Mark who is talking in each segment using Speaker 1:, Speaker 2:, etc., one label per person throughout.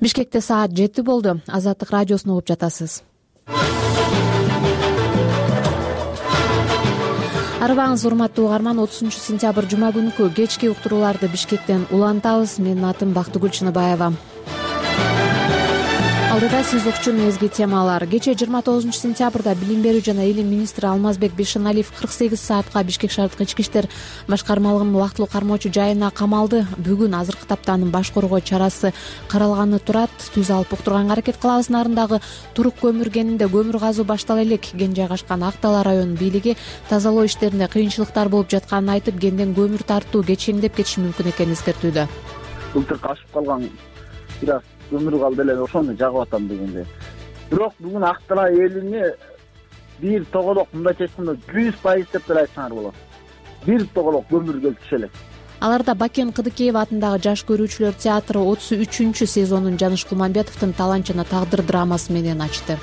Speaker 1: Бишкекте саат 7 болду. Азаттык радиосун угуп жатасыз. Арыбаңыз, урматтуу угарман. 30-сентябрь жума күнкү кечки уктурууларды Бишкектен улантабыз. Менин атым Бактыгүл Чыныбаева. Алдыда сиз укчу мезги темалар. Кече 29-сентябрда билим берүү жана илим министри Алмазбек Бишеналиев 48 саатка Бишкек шаардык ички иштер башкармалыгынын убактылуу кармоочу жайына камалды. Бүгүн азыркы таптанын баш коргоо чарасы каралганы турат. Түз алып уктурганга аракет кылабыз. Нарындагы турук көмүр кенинде көмүр казуу баштала элек. Кен жайгашкан Ак Дала районунун бийлиги тазалоо иштеринде кыйынчылыктар болуп жатканын айтып, кенден көмүр тартуу кечеңдеп кетиши мүмкүн экенин эскертүүдө.
Speaker 2: Былтыр ашып калган бир аз көмүр калды эле, ошону жагып атам дегенде. Бирок бүгүн Ак Дала элине бир тоголок, мындайча айтканда 100% деп деле айтсаңар болот. Бир тоголок көмүр келип түшө элек.
Speaker 1: Аларда Бакен Кыдыкеев атындагы Жаш көрүүчүлөр театры 33-чү сезонун Жаныш Кулманбетовдун Таланчына тагдыр драмасы менен ачты.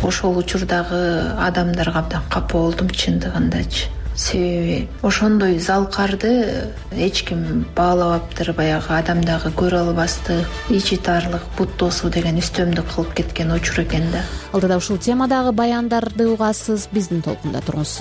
Speaker 3: Ошол учурдагы адамдарга абдан капа болдум чындыгындачы. Себеби ошондой залкарды эч ким баалабаптыр, баягы адамдагы көрө албастык, ичи тарлык, бут тосуу деген үстөмдүк кылып кеткен учур экен да.
Speaker 1: Алдыда ушул темадагы баяндарды угасыз, биздин толкунда туруңуз.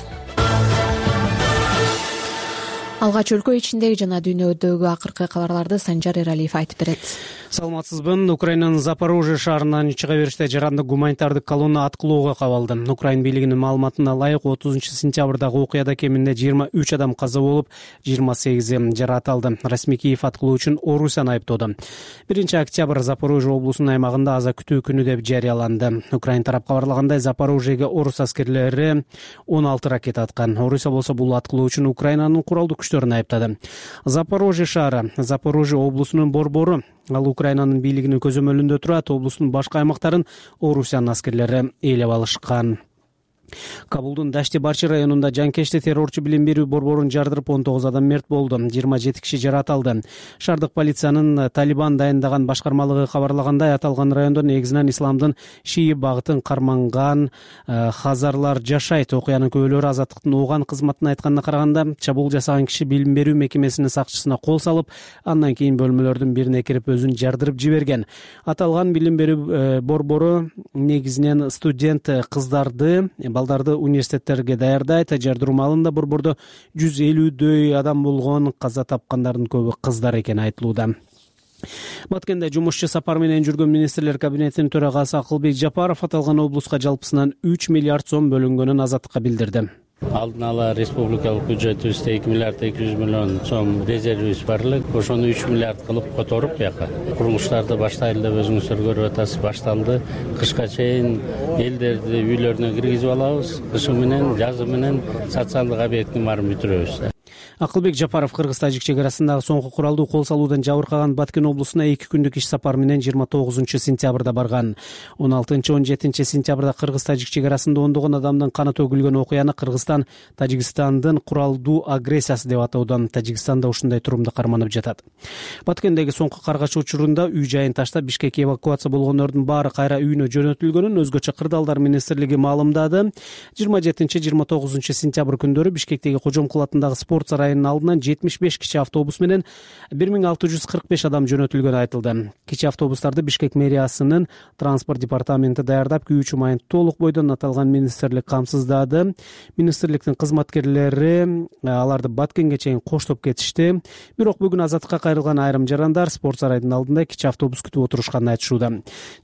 Speaker 1: Алгач өлкө ичиндеги жана дүйнөдөгү акыркы кабарларды Санжар Эралиев айтып берет.
Speaker 4: Саламатсызбы. Украинанын Запорожье шаарынан чыга бериште жарандык гуманитардык колонна аткылоого кабалды. Украин бийлигинин маалыматына ылайык 30-сентябрдагы окуяда кеминде 23 адам каза болуп, 28 жаракат алды. Расмий Киев аткылоо үчүн Орусияны айыптоодо. 1-октябрь Запорожье облусунун аймагында аза күтүү күнү деп жарыяланды. Украин тарап кабарлагандай, Запорожьеге орус аскерлери 16 ракета аткан. Орусия болсо бул аткылоо үчүн Украинанын куралдуу күчтөрүн айыптады. Запорожье шаары Запорожье облусунун борбору. Ал Украинанын бийлигинин көзөмөлүндө турат. Облустун башка аймактарын Орусиянын аскерлери ээлеп алышкан. Кабулдун Дашти-Барчи районунда жанкечти террорчу билим берүү борборун жардырып 19 адам мерт болду. 27 киши жаракат алды. Шаардык полициянын Талибан дайындаган башкармалыгы кабарлагандай, аталган райондо негизинен исламдын шии багытын карманган хазарлар жашайт. Окуянын күбөлөрү Азаттыктын уган кызматына айтканына караганда, чабуул жасаган киши билим берүү мекемесинин сакчысына кол салып, андан кийин бөлмөлөрдүн бирине кирип өзүн жардырып жиберген. Аталган билим берүү борбору негизинен студент кыздарды, балдарды университеттерге даярдайт. Жардыруу маалында борбордо 150дөй адам болгон. Каза тапкандардын көбү кыздар экени айтылууда. Баткенде жумушчу сапар менен жүргөн министрлер кабинетинин төрагасы Акылбек Жапаров аталган облуска жалпысынан 3 миллиард сом бөлүнгөнүн Азаттыкка билдирди.
Speaker 5: Алдын ала республикалык бюджетибизде 2 миллиард 200 миллион сом резервибиз бар эле. Ошону 3 миллиард кылып которуп, бияка курулуштарды баштайлы деп өзүңүздөр көрүп атасыз, башталды. Кышка чейин элдерди үйлөрүнө киргизип алабыз. Кышы менен, жазы менен социалдык объекттин баарын бүтүрөбүз.
Speaker 4: Акылбек Жапаров Кыргыз-Тажик чек арасындагы соңку куралдуу кол салуудан жабыркаган Баткен облусуна 2 күндүк иш сапары менен 29-сентябрда барган. 16-17 сентябрда Кыргыз-Тажик чек арасында ондогон адамдын каны төгүлгөн окуяны Кыргызстан Тажикстандын куралдуу агрессиясы деп атоодон Тажикстанда ушундай турумду карманып жатат. Баткендеги соңку каргаш учурунда үй жайын таштап Бишкекке эвакуация болгондордун баары кайра үйүнө жөнөтүлгөнүн өзгөчө Кырдаалдар министрлиги маалымдады. 27-29 сентябрь күндөрү Бишкектеги Кожомкул атындагы спорт сарайынын алдынан 75 кичи автобус менен 1645 адам жөнөтүлгөнү айтылды. Кичи автобустарды Бишкек мэриясынын транспорт департаменти даярдап, күйүүчү майын толук бойдон аталган министрлик камсыздады. Министрликтин кызматкерлери аларды Баткенге чейин коштоп кетишти. Бирок бүгүн Азаттыкка кайрылган айрым жарандар спорт сарайдын алдында кичи автобус күтүп отурушканын айтышууда.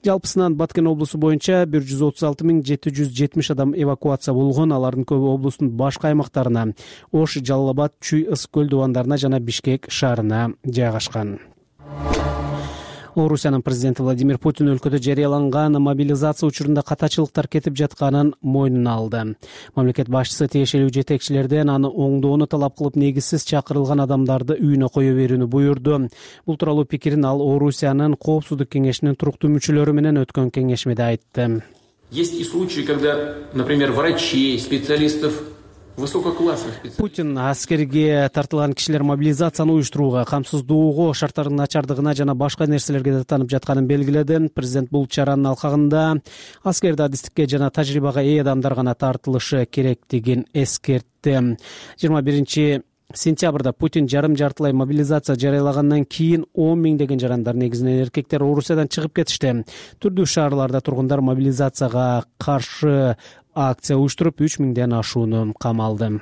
Speaker 4: Жалпысынан Баткен облусу боюнча 136 770 адам эвакуация болгон. Алардын көбү облустун башка аймактарына, Ош, Жалал абад, Чүй, Ыс көл дубандарына жана Бишкек шаарына жайгашкан. Орусиянын президенти Владимир Путин өлкөдө жарыяланган мобилизация учурунда катачылыктар кетип жатканын мойнуна алды. Мамлекет башчысы тиешелүү жетекчилерден аны оңдоону талап кылып, негизсиз чакырылган адамдарды үйүнө кое берүүнү буйрду. Бул тууралуу пикирин ал Орусиянын коопсуздук кеңешинин туруктуу мүчөлөрү менен өткөн кеңешмеде айтты.
Speaker 6: Есть и случаи, когда, например, врачей, специалистов
Speaker 4: Путин аскерге тартылган кишилер мобилизацияны уюштурууга, камсыздоого, шарттардын начардыгына жана башка нерселерге даттанып жатканын белгиледи. Президент бул чаранын алкагында аскерде адистикке жана тажрыйбага ээ адамдар гана тартылышы керектигин эскертти. Сентябрда Путин жарым-жартылай мобилизация жарыялагандан кийин 10 миңдеген жарандар, негизинен эркектер, Орусиядан чыгып кетишти. Түрдүү шаарларда тургундар мобилизацияга каршы акция уюштуруп 3 миңден ашууну камалды.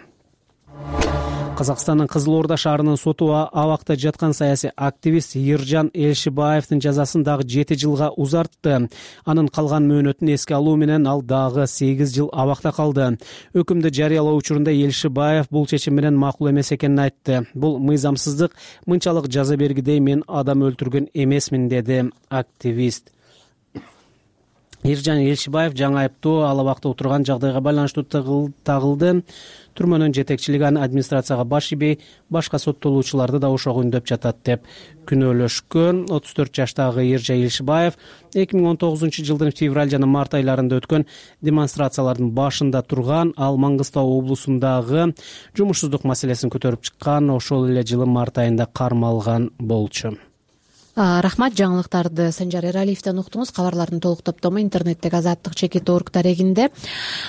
Speaker 4: Казакстандын Кызыл Орда шаарынын соту абакта жаткан саясий активист Иржан Элшибаевдин жазасын дагы 7 жылга узартты. Анын калган мөөнөтүн эске алуу менен ал дагы 8 жыл абакта калды. Өкүмдү жарыялоо учурунда Элшибаев бул чечим менен макул эмес экенин айтты. Бул мыйзамсыздык, мынчалык жаза бергидей мен адам өлтүргөн эмесмин, деди активист. Иржан Элшибаев жаңы айыптоо ал абакта отурган жагдайга байланыштуу тагылды. Түрмөнүн жетекчилиги аны администрацияга баш ийбей, башка соттолуучуларды да ошого үндөп жатат деп күнөөлөшкөн. 34 жаштагы Иржан Элшибаев 2019 жылдын февраль жана март айларында өткөн демонстрациялардын башында турган, ал Маңгыстау облусундагы жумушсуздук маселесин көтөрүп чыккан. Ошол эле жылы март айында кармалган болчу.
Speaker 1: Рахмат, жаңылыктарды Санжар Эралиевден уктуңуз. Кабарлардын толук топтому интернеттеги Азаттык чекит.org дарегинде.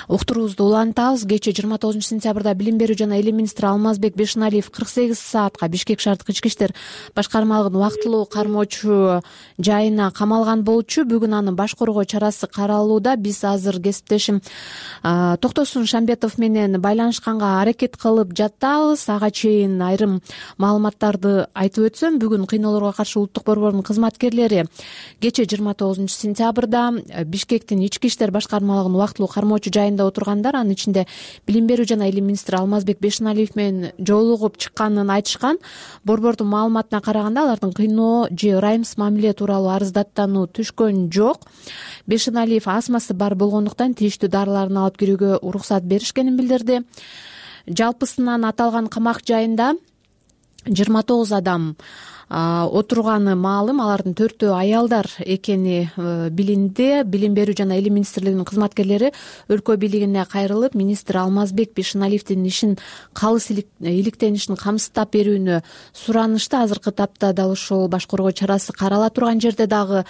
Speaker 1: Уктуруубузду улантабыз. Кечээ 29 сентябрда Билим берүү жана Илим министри Алмазбек Бешеналиев 48 саатка Бишкек шаардык ички иштер башкармалыгынын убактылуу кармоочу жайына камалган болчу. Бүгүн анын баш коргоо чарасы каралууда. Биз азыр кесиптешим Токтосун Шамбетов менен байланышканга аракет кылып жатабыз. Ага чейин айрым маалыматтарды айтып өтсөм, бүгүн кыйноолорго каршы улуттук борбордун кызматкерлери кечээ 29 сентябрда Бишкектин ички иштер башкармалыгынын убактылуу кармоочу жайында отургандар, анын ичинде Билим берүү жана Илим министри Алмазбек Бешеналиев менен жолугуп чыкканын айтышкан. Борбордун маалыматына караганда, алардын кыйноо же ырайымсыз мамиле тууралуу арыздаттануу түшкөн жок. Бешеналиев астмасы бар болгондуктан тийиштүү дарыларын алып кирүүгө уруксат беришкенин билдирди. Жалпысынан аталган камак жайында 29 адам отурганы маалым. Алардын 4-өө аялдар экени билинди. Билим берүү жана Илим министрлигинин кызматкерлери өлкө бийлигине кайрылып, министр Алмазбек Бешеналиевдин ишин калыс иликтенишин камсыздап берүүнү суранышты. Азыркы тапта дал ошол баш коргоо чарасы карала турган жерде дагы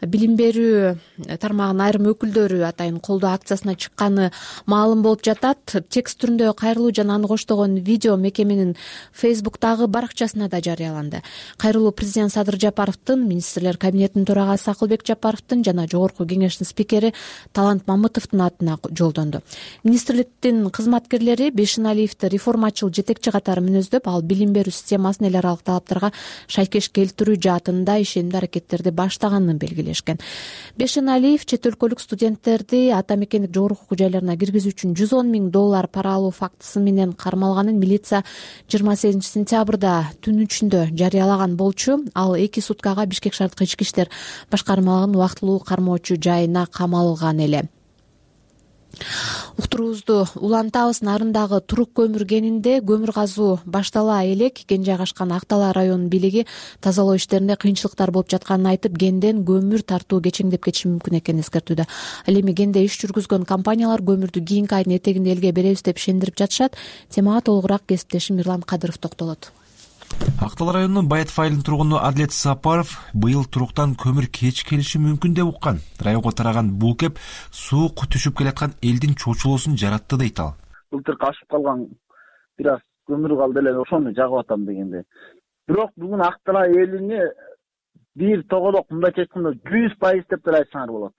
Speaker 1: билим берүү тармагынын айрым өкүлдөрү атайын колдоо акциясына чыкканы маалым болуп жатат. Текст түрүндө кайрылуу жана аны коштогон видео мекеменин Facebook'тагы баракчасына да жарыяланды. Кайрылуу президент Садыр Жапаровдун, министрлер кабинетинин төрагасы Акылбек Жапаровдун жана жогорку кеңештин спикери Талант Мамытовдун атына жолдонду. Министрликтин кызматкерлери Бешеналиевди реформачыл жетекчи катары мүнөздөп, ал билим берүү системасын эл аралык талаптарга шайкеш келтирүү жаатында ишенимдүү аракеттерди баштаганын белгилешкен. Бешеналиев чет өлкөлүк студенттерди ата мекендик жогорку окуу жайларына киргизүү үчүн $110 000 пара алуу фактысы менен кармалганын милиция 28 сентябрда түн ичинде жарыялаган болчу. Ал 2 суткага Бишкек шаардык ички иштер башкармалыгынын убактылуу кармоочу жайына камалган эле. Уктуруубузду улантабыз. Нарындагы турук көмүр кенинде көмүр казуу баштала элек. Кен жайгашкан Актала районунун бийлиги тазалоо иштеринде кыйынчылыктар болуп жатканын айтып, кенден көмүр тартуу кечеңдеп кетиши мүмкүн экенин эскертүүдө. Ал эми кенде иш жүргүзгөн компаниялар көмүрдү кийинки айдын этегинде элге беребиз деп ишендирип жатышат. Темага толугураак кесиптешим Мирлан Кадыров токтолот.
Speaker 7: Актала районунун Байытов айылынын тургуну Адлет Сапаров быйыл туруктан көмүр кеч келиши мүмкүн деп уккан. Районго тараган бул кеп суук түшүп келаткан элдин чочулоосун жаратты дейт ал.
Speaker 2: Былтыр кашып калган бир аз көмүр калды эле, ошону жагып атам дегенде. Бирок бүгүн Актала элине бир тоголок, мындайча айтканда 100% деп деле айтсаңар болот.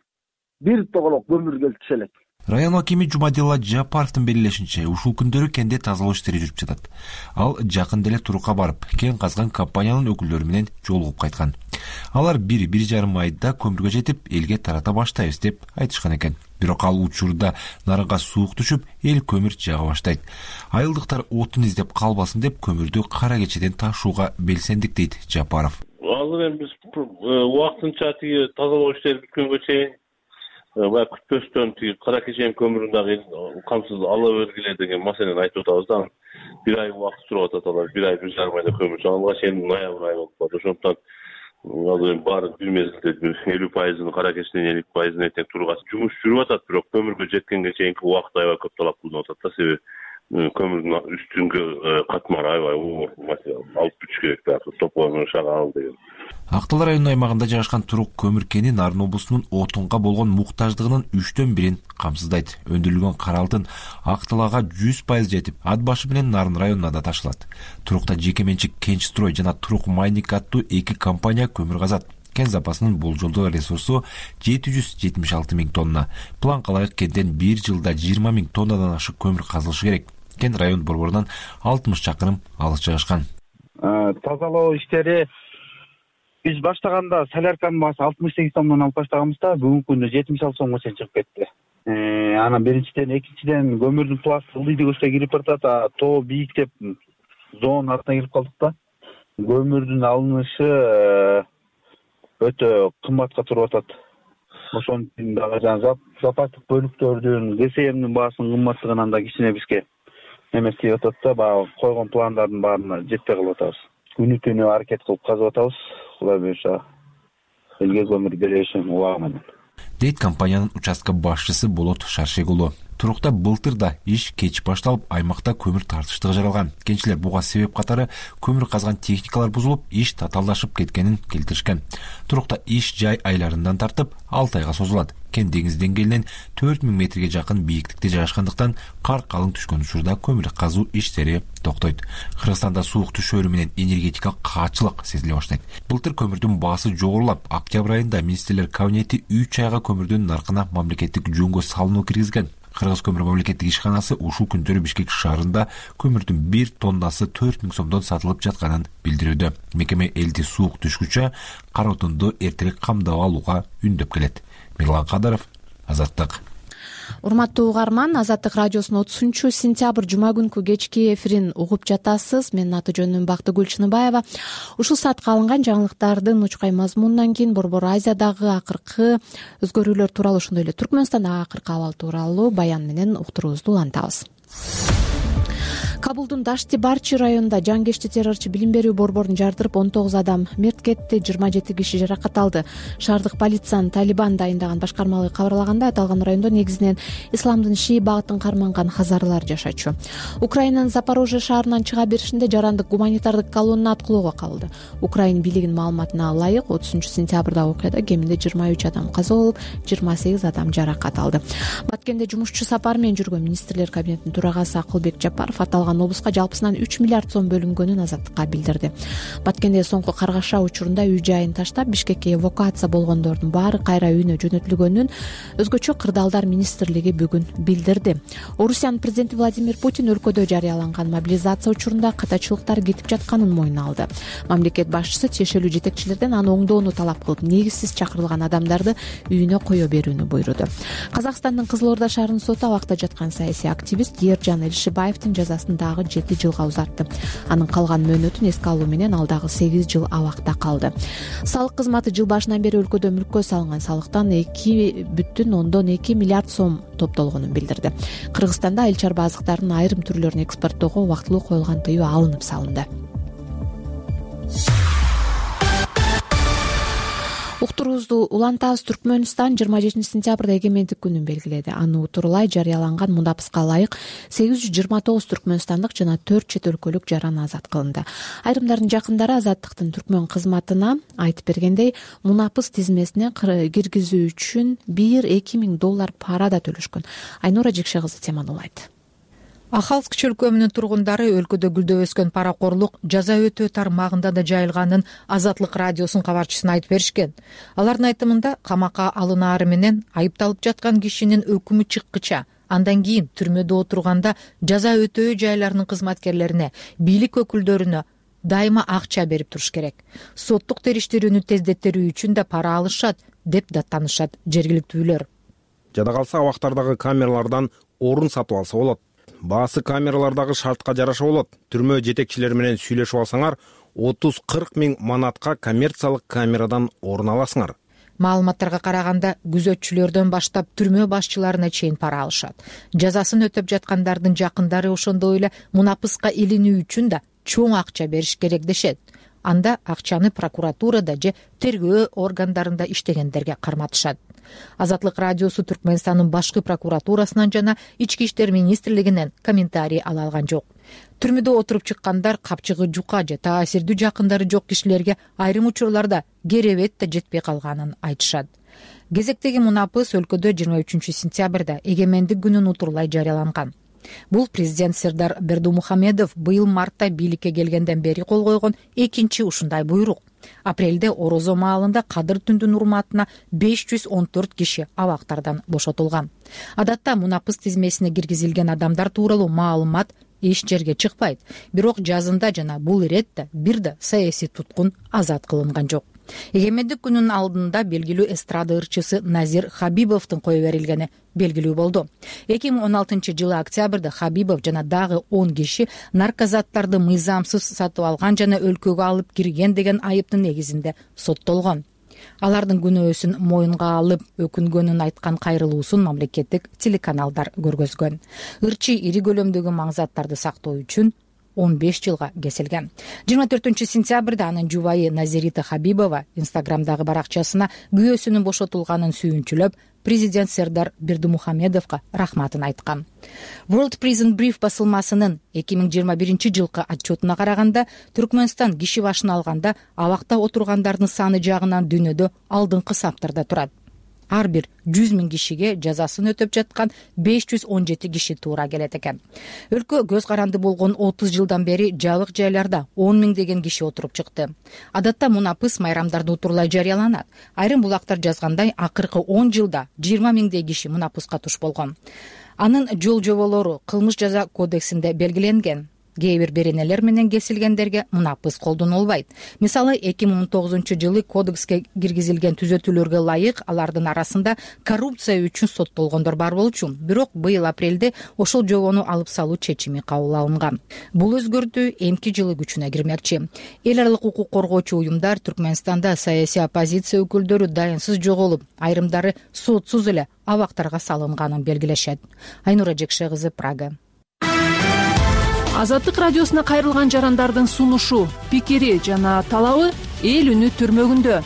Speaker 2: Бир тоголок көмүр келип түшө элек.
Speaker 7: Район акими Жумадилла Жапаровдун белгилешинче, ушул күндөрү кенде тазалоо иштери жүрүп жатат. Ал жакын деле турукка барып, кен казган компаниянын өкүлдөрү менен жолугуп кайткан. Алар 1-1,5 айда көмүргө жетип, элге тарата баштайбыз деп айтышкан экен. Бирок ал учурда нарынга суук түшүп, эл көмүр жага баштайт. Айылдыктар отун издеп калбасын деп көмүрдү кара кечеден ташууга белсендик дейт Жапаров.
Speaker 8: Азыр эми биз убактынча тиги тазалоо иштери бүткөнгө чейин баягы күтпөстөн тиги кара кеченин көмүрүн дагы камсыз ала бергиле деген маселени айтып атабыз да. Бир ай убакыт сурап атат алар. 1 ай 1,5 айда көмүр чыгалганга чейин ноябрь айы болуп калат. Ошондуктан азыр баары бир мезгилде 50% кара кеченин 50% этек тургасы жумуш жүрүп атат, бирок көмүргө жеткенге чейинки убакыт аябай көп талап кылынып атат да. Себеби көмүрдүн үстүнгү катмары аябай оор материал алып бүтүш керек дагы тополонун шагал деген.
Speaker 7: Ак Дала районунун аймагында жайгашкан турук көмүр кени Нарын облусунун отунга болгон муктаждыгынын 3/1 камсыздайт. Өндүрүлгөн кара алтын Ак Далага 100% жетип, ат башы менен Нарын районуна да ташылат. Турукта жеке менчик Кенчстрой жана Турук Майник аттуу 2 компания көмүр казат. Кен запасынын болжолдуу ресурсу 776 000 тонна. Планга ылайык кенден 1 жылда 20 000 тоннадан ашык көмүр казылышы керек. Кен район борборунан 60 чакырым алыс жайгашкан.
Speaker 2: Тазалоо иштери биз баштаганда солярканын баасы 68 сомдон алып баштаганбыз да, бүгүнкү күндө 76 сомго чейин чыгып кетти. Анан биринчиден, экинчиден көмүрдүн пласты ылдыйдык өчкө кирип баратат, тоо бийиктеп зоонун артына кирип калдык да. Көмүрдүн алынышы өтө кымбатка туруп атат. Ошон үчүн дагы запастык бөлүктөрдүн ГСМдин баасынын кымбаттыгынан да кичине бизге эмес тийип атат да, баягы койгон пландардын баарына жетпей калып атабыз. Күнү түнү аракет кылып казып атабыз. Кудай буюрса элге көмүр беришин убагы менен.
Speaker 7: Дейт компаниянын участка башчысы Болот Шаршек уулу. Турукта былтыр да иш кеч башталып, аймакта көмүр тартыштыгы жаралган. Кенчилер буга себеп катары көмүр казган техникалар бузулуп, иш татаалдашып кеткенин келтиришкен. Турукта иш жай айларынан тартып 6 айга созулат. Кен деңиз деңгээлинен 4000 метрге жакын бийиктикте жайгашкандыктан кар калың түшкөн учурда көмүр казуу иштери токтойт. Кыргызстанда суук түшөөрү менен энергетикалык каачылык сезиле баштайт. Былтыр көмүрдүн баасы жогорулап, октябрь айында министрлер кабинети 3 айга көмүрдүн наркына мамлекеттик жөнгө салынуу киргизген. Кыргыз көмүр мамлекеттик ишканасы ушул күндөрү Бишкек шаарында көмүрдүн 1 тоннасы 4000 сомдон сатылып жатканын билдирүүдө. Мекеме элди суук түшкүчө кара отунду эртерээк камдап алууга үндөп келет. Мирлан Кадаров, Азаттык.
Speaker 1: Урматтуу угарман, Азаттык радиосунун 30-сентябрь жума күнкү кечки эфирин угуп жатасыз. Менин аты жөнүм Бактыгүл Чыныбаева. Ушул саатка алынган жаңылыктардын учкай мазмунунан кийин Борбор Азиядагы акыркы өзгөрүүлөр тууралуу, ошондой эле Түркмөнстандагы акыркы абал тууралуу баян менен уктуруубузду улантабыз. Кабулдун Дашти-Барчи районунда жангечти террорчу билим берүү борборун жардырып 19 адам мерт кетти, 27 киши жаракат алды. Шаардык полициянын Талибан дайындаган башкармалыгы кабарлагандай, аталган райондо негизинен исламдын шии багытын карманган хазарлар жашачу. Украинанын Запорожье шаарынан чыга беришинде жарандык гуманитардык колонна аткылоого кабылды. Украин бийлигинин маалыматына ылайык 30-сентябрда окуяда кеминде 23 адам каза болуп, 28 адам жаракат алды. Баткенде жумушчу сапары менен жүргөн министрлер кабинетинин төрагасы Акылбек Жапаров аталган облуска жалпысынан 3 миллиард сом бөлүнгөнүн Азаттыкка билдирди. Баткенде соңку каргаша учурунда үй жайын таштап, Бишкекке эвакуация болгондордун баары кайра үйүнө жөнөтүлгөнүн өзгөчө кырдаалдар министрлиги бүгүн билдирди. Орусиянын президенти Владимир Путин өлкөдө жарыяланган мобилизация учурунда катачылыктар кетип жатканын мойнуна алды. Мамлекет башчысы тиешелүү жетекчилерден аны оңдоону талап кылып, негизсиз чакырылган адамдарды үйүнө кое берүүнү буйруду. Казакстандын Кызыл Орда шаарынын соту абакта жаткан саясий активист Эржан Элишибаевдин жазасын дагы 7 жылга узартты. Анын калган мөөнөтүн эске алуу менен ал дагы 8 жыл абакта калды. Салык кызматы жыл башынан бери өлкөдө мүлккө салынган салыктан 2,2 миллиард сом топтолгонун билдирди. Кыргызстанда айыл чарба азыктарынын айрым түрлөрүн экспорттоого убактылуу коюлган тыюу алынып салынды. Уктуруубузду улантабыз. Түркмөнстан 27-сентябрда эгемендик күнүн белгиледи. Аны утурлай жарыяланган мундапыска ылайык 829 түркмөнстандык жана 4 чет өлкөлүк жаран азат кылынды. Айрымдардын жакындары Азаттыктын түркмөн кызматына айтып бергендей, мунапыс тизмесине киргизүү үчүн 1-2 миң доллар пара да төлөшкөн. Айнура Жекше кызы теманы улайт.
Speaker 9: Ахалск чөлкөмүнүн тургундары өлкөдө гүлдөп өскөн паракорлук жаза өтөө тармагында да жайылганын Азаттык радиосунун кабарчысына айтып беришкен. Алардын айтымында камакка алынаары менен айыпталып жаткан кишинин өкүмү чыккыча, андан кийин түрмөдө отурганда жаза өтөө жайларынын кызматкерлерине, бийлик өкүлдөрүнө дайыма акча берип туруш керек. Соттук териштирүүнү тездеттерүү үчүн да пара алышат деп даттанышат жергиликтүүлөр.
Speaker 10: Жада калса абактардагы камералардан орун сатып алса болот. Баасы камералардагы шартка жараша болот. Түрмө жетекчилери менен сүйлөшүп алсаңар 30-40 миң манатка коммерциялык камерадан орун аласыңар.
Speaker 9: Маалыматтарга караганда күзөтчүлөрдөн баштап түрмө башчыларына чейин пара алышат. Жазасын өтөп жаткандардын жакындары ошондой эле мунапыска илинүү үчүн да чоң акча бериш керек дешет. Анда акчаны прокуратурада же тергөө органдарында иштегендерге карматышат. Азаттык радиосу Түркмөнстандын башкы прокуратурасынан жана Ички иштер министрлигинен комментарий ала алган жок. Түрмөдө отуруп чыккандар капчыгы жука же таасирдүү жакындары жок кишилерге айрым учурларда керебет да жетпей калганын айтышат. Кезектеги мунапыс өлкөдө 23-сентябрда эгемендик күнүн утурлай жарыяланган. Бул президент Сердар Бердумухамедов быйыл мартта бийликке келгенден бери кол койгон экинчи ушундай буйрук. Апрелде Орозо маалында Кадыр түндүн урматына 514 киши абактардан бошотулган. Адатта мунапыс тизмесине киргизилген адамдар тууралуу маалымат эч жерге чыкпайт. Бирок жазында жана бул иретте бир да саясий туткун азат кылынган жок. Эгемендик күнүнүн алдында белгилүү эстрада ырчысы Назир Хабибовдун кое берилгени белгилүү болду. 2016-жылы октябрда Хабибов жана дагы 10 киши наркозаттарды мыйзамсыз сатып алган жана өлкөгө алып кирген деген айыптын негизинде соттолгон. Алардын күнөөсүн моюнга алып өкүнгөнүн айткан кайрылуусун мамлекеттик телеканалдар көргөзгөн. Ырчы ири көлөмдөгү маңзаттарды сактоо үчүн 15 жылга кесилген. 24-сентябрда анын жубайы Назирита Хабибова инстаграмдагы баракчасына күйөөсүнүн бошотулганын сүйүнчүлөп, президент Сердар Бердумухамедовго рахматын айткан. World Prison Brief басылмасынын 2021-жылкы отчетуна караганда, Түркмөнстан киши башына алганда абакта отургандардын саны жагынан дүйнөдө алдыңкы саптарда турат. Ар бир 100 000 кишиге жазасын өтөп жаткан 517 киши туура келет экен. Өлкө көз каранды болгон 30 жылдан бери жабык жайларда 10 000 киши отуруп чыкты. Адатта мунапыс майрамдарда утурлай жарыяланат. Айрым булактар жазгандай, акыркы 10 жылда 20 000 киши мунапыска туш болгон. Анын жол жоболору кылмыш жаза кодексинде белгиленген. Кээ бир беренелер менен кесилгендерге мунапыс колдонулбайт. Мисалы 2019-жылы кодекске киргизилген түзөтүүлөргө ылайык алардын арасында коррупция үчүн соттолгондор бар болчу. Бирок быйыл апрелде ошол жобону алып салуу чечими кабыл алынган. Бул өзгөртүү эмки жылы күчүнө кирмекчи. Эл аралык укук коргоочу уюмдар Түркмөнстанда саясий оппозиция өкүлдөрү дайынсыз жоголуп, айрымдары сотсуз эле абактарга салынганын белгилешет. Айнура Жекше кызы, Прага.
Speaker 11: Азаттык радиосуна кайрылган жарандардын сунушу, пикири жана талабы эл үнү түрмөгүндө.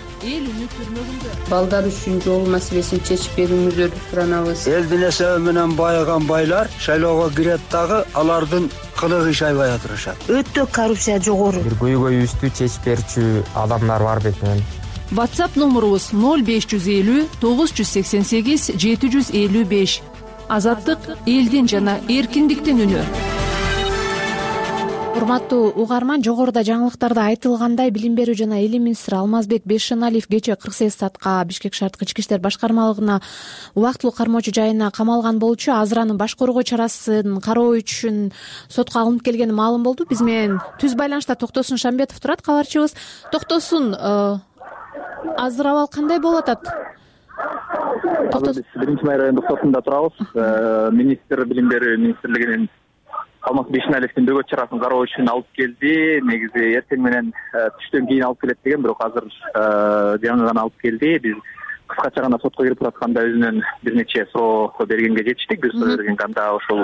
Speaker 12: Балдар үчүн жол маселесин чечип берүүңүздөрдү суранабыз.
Speaker 13: Элдин эсеби менен байыган байлар шайлоого кирет дагы алардын кылыгы иш аябай атырышат.
Speaker 12: Өтө коррупция жогору.
Speaker 14: Бир көйгөйүбүздү чечип берчү адамдар бар бет менен.
Speaker 11: WhatsApp номурубуз 0550 988 755. Азаттык элдин жана эркиндиктин үнү.
Speaker 1: Урматтуу угарман, жогоруда жаңылыктарда айтылгандай, билим берүү жана илим министри Алмазбек Бейшеналиев кечээ 48 саатка Бишкек шаардык ички иштер башкармалыгына убактылуу кармоочу жайына камалган болчу. Азыр анын баш коргоо чарасын кароо үчүн сотко алынып келгени маалым болду. Биз менен түз байланышта Токтосун Шамбетов турат, кабарчыбыз. Токтосун, азыр абал кандай болуп атат?
Speaker 15: Биз 1-май райондук сотунда турабыз. Министр билим берүү министрлигинин Алмаз Бейшеналиевдин бөгөт чарасын кароо үчүн алып келди. Негизи эртең менен түштөн кийин алып келет деген, бирок азыр жаңы гана алып келди. Биз кыскача гана сотко кирип атканда өзүнөн бир нече суроо бергенге жетиштик. Бир суроо берген анда ошол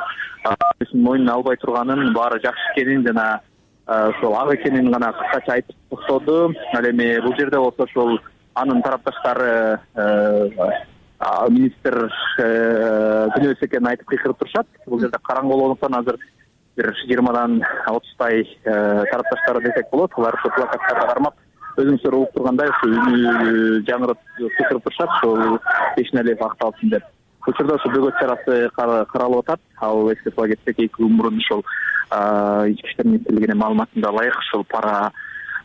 Speaker 15: өзүнүн мойнуна албай турганын, баары жакшы экенин жана ошол ак экенин гана кыскача айтып токтоду. Ал эми бул жерде болсо ошол анын тарапташтары министр күнөөсү экенин айтып кыйкырып турушат. Бул жерде караңгы болгондуктан азыр бир 20дан 30тай тарапташтары десек болот. Алар ошо плакаттарды кармап өзүңүздөр угуп тургандай ошо үнү жаңырып кыйкырып турушат. Ошол Бейшеналиев акталсын деп. Учурда ошо бөгөт чарасы каралып атат. Ал эске сала кетсек, 2 күн мурун ошол ички иштер министрлигинин маалыматына ылайык ошол пара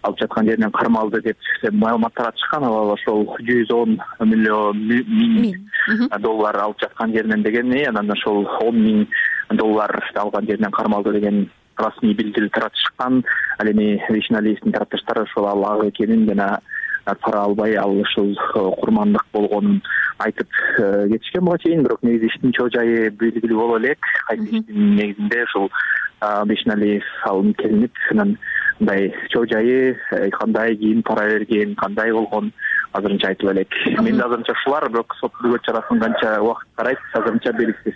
Speaker 15: алып жаткан жеринен кармалды деп маалымат таратышкан. Ал ошол 110 миллион доллар алып жаткан жеринен дегени, анан ошол 10 000 доллар алган жеринен кармалды деген расмий билдирүү таратышкан. Ал эми Бейшеналиевдин тарапташтары ошол ал ак экенин жана пара албай ал ушул курмандык болгонун айтып кетишкен буга чейин. Бирок негизи иштин чоо жайы белгилүү боло элек. Кайсы иштин негизинде ушул Бейшеналиев алынып келинип, анан мындай чоо жайы кандай, ким пара берген, кандай болгон азырынча айтып элек. Мен азырынча ушулар, бирок сот бөгөт чарасын канча убакыт карайт, азырынча белгисиз.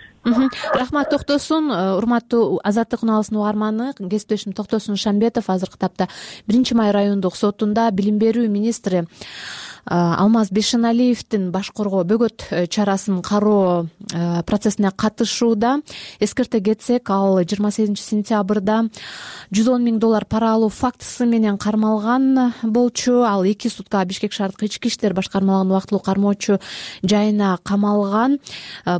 Speaker 1: Рахмат, Токтосун. Урматтуу Азаттык унаалысынын угарманы, кесиптешим Токтосун Шамбетов азыркы тапта 1-май райондук сотунда билим берүү министри Алмаз Бейшеналиевдин башкоргоо бөгөт чарасын кароо процессине катышууда. Эскерте кетсек, ал 28 сентябрда $110,000 пара алуу фактысы менен кармалган болчу. Ал 2 сутка Бишкек шаардык ички иштер башкармалыгынын убактылуу кармоочу жайына камалган.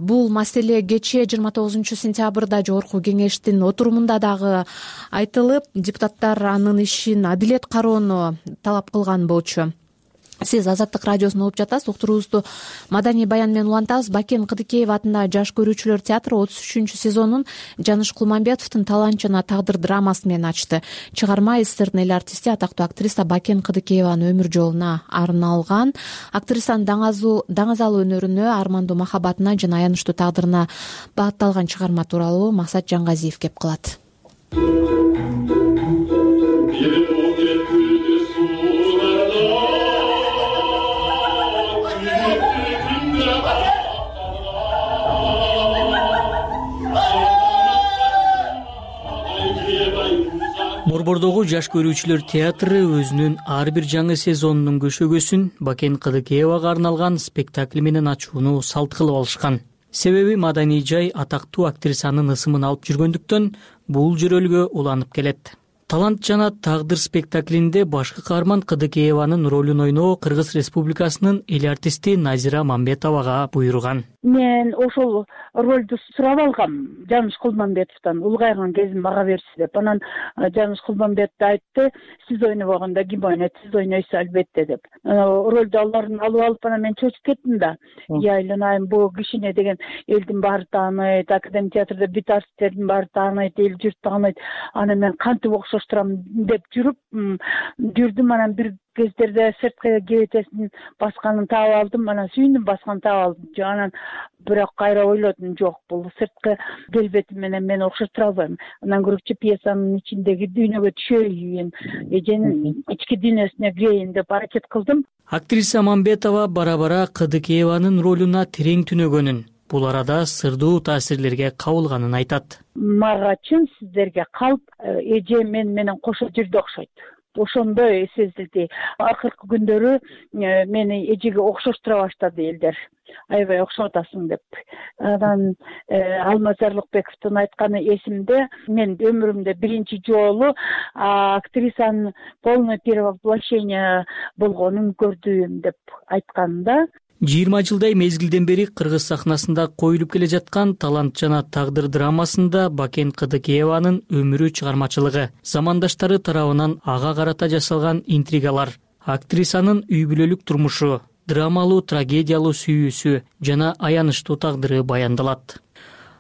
Speaker 1: Бул маселе кечээ 29 сентябрда жогорку кеңештин отурумунда дагы айтылып, депутаттар анын ишин адилет кароону талап кылган болчу. Сиз Азаттык радиосун угуп жатасыз. Уктуруубузду маданий баян менен улантабыз. Бакен Кыдыкеева атындагы Жаш көрүүчүлөр театры 33 сезонун Жаныш Кулманбетовдун Талант жана тагдыр драмасы менен ачты. Чыгарма СССРдин эл артисти, атактуу актриса Бакен Кыдыкееванын өмүр жолуна арналган. Актрисанын даңазалуу өнөрүнө, армандуу махабатына жана аянычтуу тагдырына багытталган чыгарма тууралуу Максат Жангазиев кеп кылат.
Speaker 16: Борбордогу Жаш көрүүчүлөр театры өзүнүн ар бир жаңы сезонунун көшөгөсүн Бакен Кыдыкеевага арналган спектакль менен ачууну салт кылып алышкан. Себеби маданий жай атактуу актрисанын ысымын алып жүргөндүктөн бул жөрөлгө уланып келет. Талант жана тагдыр спектаклинде башкы каарман Кыдыкееванын ролун ойноо Кыргыз Республикасынын эл артисти Назира Мамбетовага буйруган.
Speaker 12: Мен ошол ролду сурап алгам Жаныш Кулманбетовдон, улгайган кезим мага берси деп. Анан Жаныш Кулманбетов айтты, сиз ойнобогондо ким ойнойт, сиз ойнойсуз албетте деп. Ролду аларын алып анан мен чочуп кеттим да. Айланайм, бул кишине деген элдин баары тааныйт, Академия театрда бүт артисттердин баары тааныйт, эл журт тааныйт. Анан мен кантип окшоштурам деп жүрдүм. Анан бир кездерде сырткы кебетесин басканын таап алдым, анан сүйүндүм, басканын таап алдым. Анан бирок кайра ойлодум, жок, бул сырткы келбети менен мен окшоштура албайм. Андан көрөчү пьесанын ичиндеги дүйнөгө түшөйүн, эженин ички дүйнөсүнө кирейин деп аракет кылдым.
Speaker 16: Актриса Мамбетова бара-бара Кыдыкееванын ролуна терең түнөгөнүн, бул арада сырдуу таасирлерге кабылганын айтат.
Speaker 12: Мага чын сиздерге калп эже менен кошо жүрдү окшойт. Ошондой сезилди. Акыркы күндөрү мени эжеге окшоштура баштады элдер. Аябай окшоп атасың деп. Анан Алмаз Арлыкбековдун айтканы эсимде. Мен өмүрүмдө биринчи жолу актрисанын полное перевоплощение болгонун көрдүм деп айтканда.
Speaker 16: 20 жылдай мезгилден бери кыргыз сахнасында коюлуп келе жаткан Талант жана тагдыр драмасында Бакен Кыдыкееванын өмүрү чыгармачылыгы, замандаштары тарабынан ага карата жасалган интригалар, актрисанын үй бүлөлүк турмушу, драмалуу трагедиялуу сүйүүсү жана аянычтуу тагдыры баяндалат.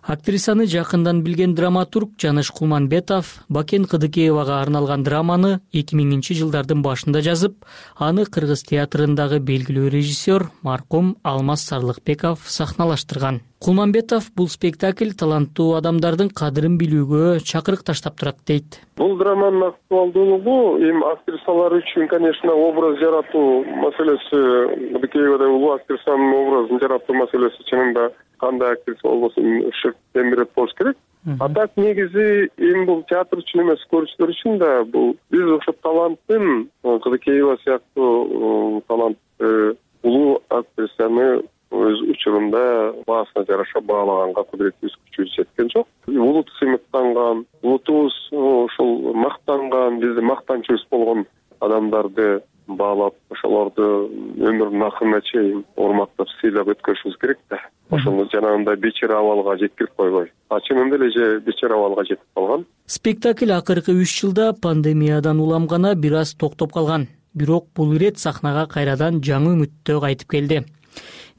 Speaker 16: Актрисаны жакындан билген драматург Жаныш Кулманбетов Бакен Кыдыкеевага арналган драманы 2000-жылдардын башында жазып, аны Кыргыз театрындагы белгилүү режиссер маркум Алмаз Сарлыкбеков сахналаштырган. Кулманбетов бул спектакль таланттуу адамдардын кадырын билүүгө чакырык таштап турат дейт.
Speaker 17: Бул драманын актуалдуулугу эми актрисалар үчүн, конечно, образ жаратуу маселеси, Кыдыкеевада улуу актрисанын образын жаратуу маселеси чынында кандай актриса болбосун шык темирет болуш керек. А так негизи эми бул театр үчүн эмес, көрүүчүлөр үчүн да бул биз ошо таланттын, Кыдыкеева сыяктуу талантты улуу актрисаны өз учурунда баасына жараша баалаганга кудуретибиз күчүбүз жеткен жок. Улут сыймыктанган, улутубуз ошол мактанган, биздин мактанчубуз болгон адамдарды баалап, ошолорду өмүрүнүн акырына чейин урматтап, сыйлап өткөрүшүбүз керек да. Ошону жанагындай бечара абалга жеткирип койбой. Чынында эле же бечара абалга жетип калган.
Speaker 16: Спектакль акыркы 3 жылда пандемиядан уламгана бир аз токтоп калган. Бирок бул ирет сахнага кайрадан жаңы үмүттө кайтып келди.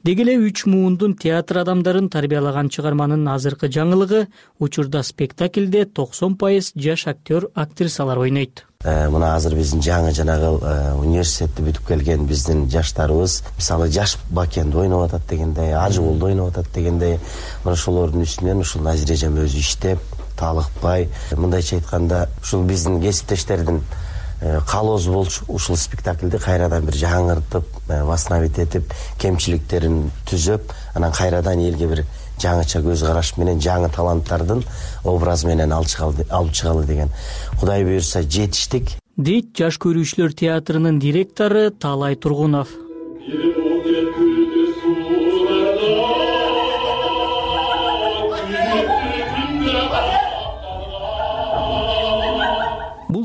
Speaker 16: Деги эле 3 муундун театр адамдарын тарбиялаган чыгарманын азыркы жаңылыгы учурда спектакльде 90% жаш актер, актрисалар ойнойт.
Speaker 18: Мына азыр биздин жаңы жанагы университетти бүтүп келген биздин жаштарыбыз, мисалы жаш Бакенди ойноп атат дегендей, Ажыболду ойноп атат дегендей, мына ошолордун үстүнөн ушул Назира эжем өзү иштеп, талыкпай, мындайча айтканда, ушул биздин кесиптештердин калоозу болчу ушул спектакльди кайрадан бир жаңыртып, восстановить этип, кемчиликтерин түзөп, анан кайрадан элге бир жаңыча көз караш менен жаңы таланттардын образы менен алып чыгалы деген. Кудай буйрса жетиштик.
Speaker 16: Дейт Жаш көрүүчүлөр театрынын директору Таалай Тургунов.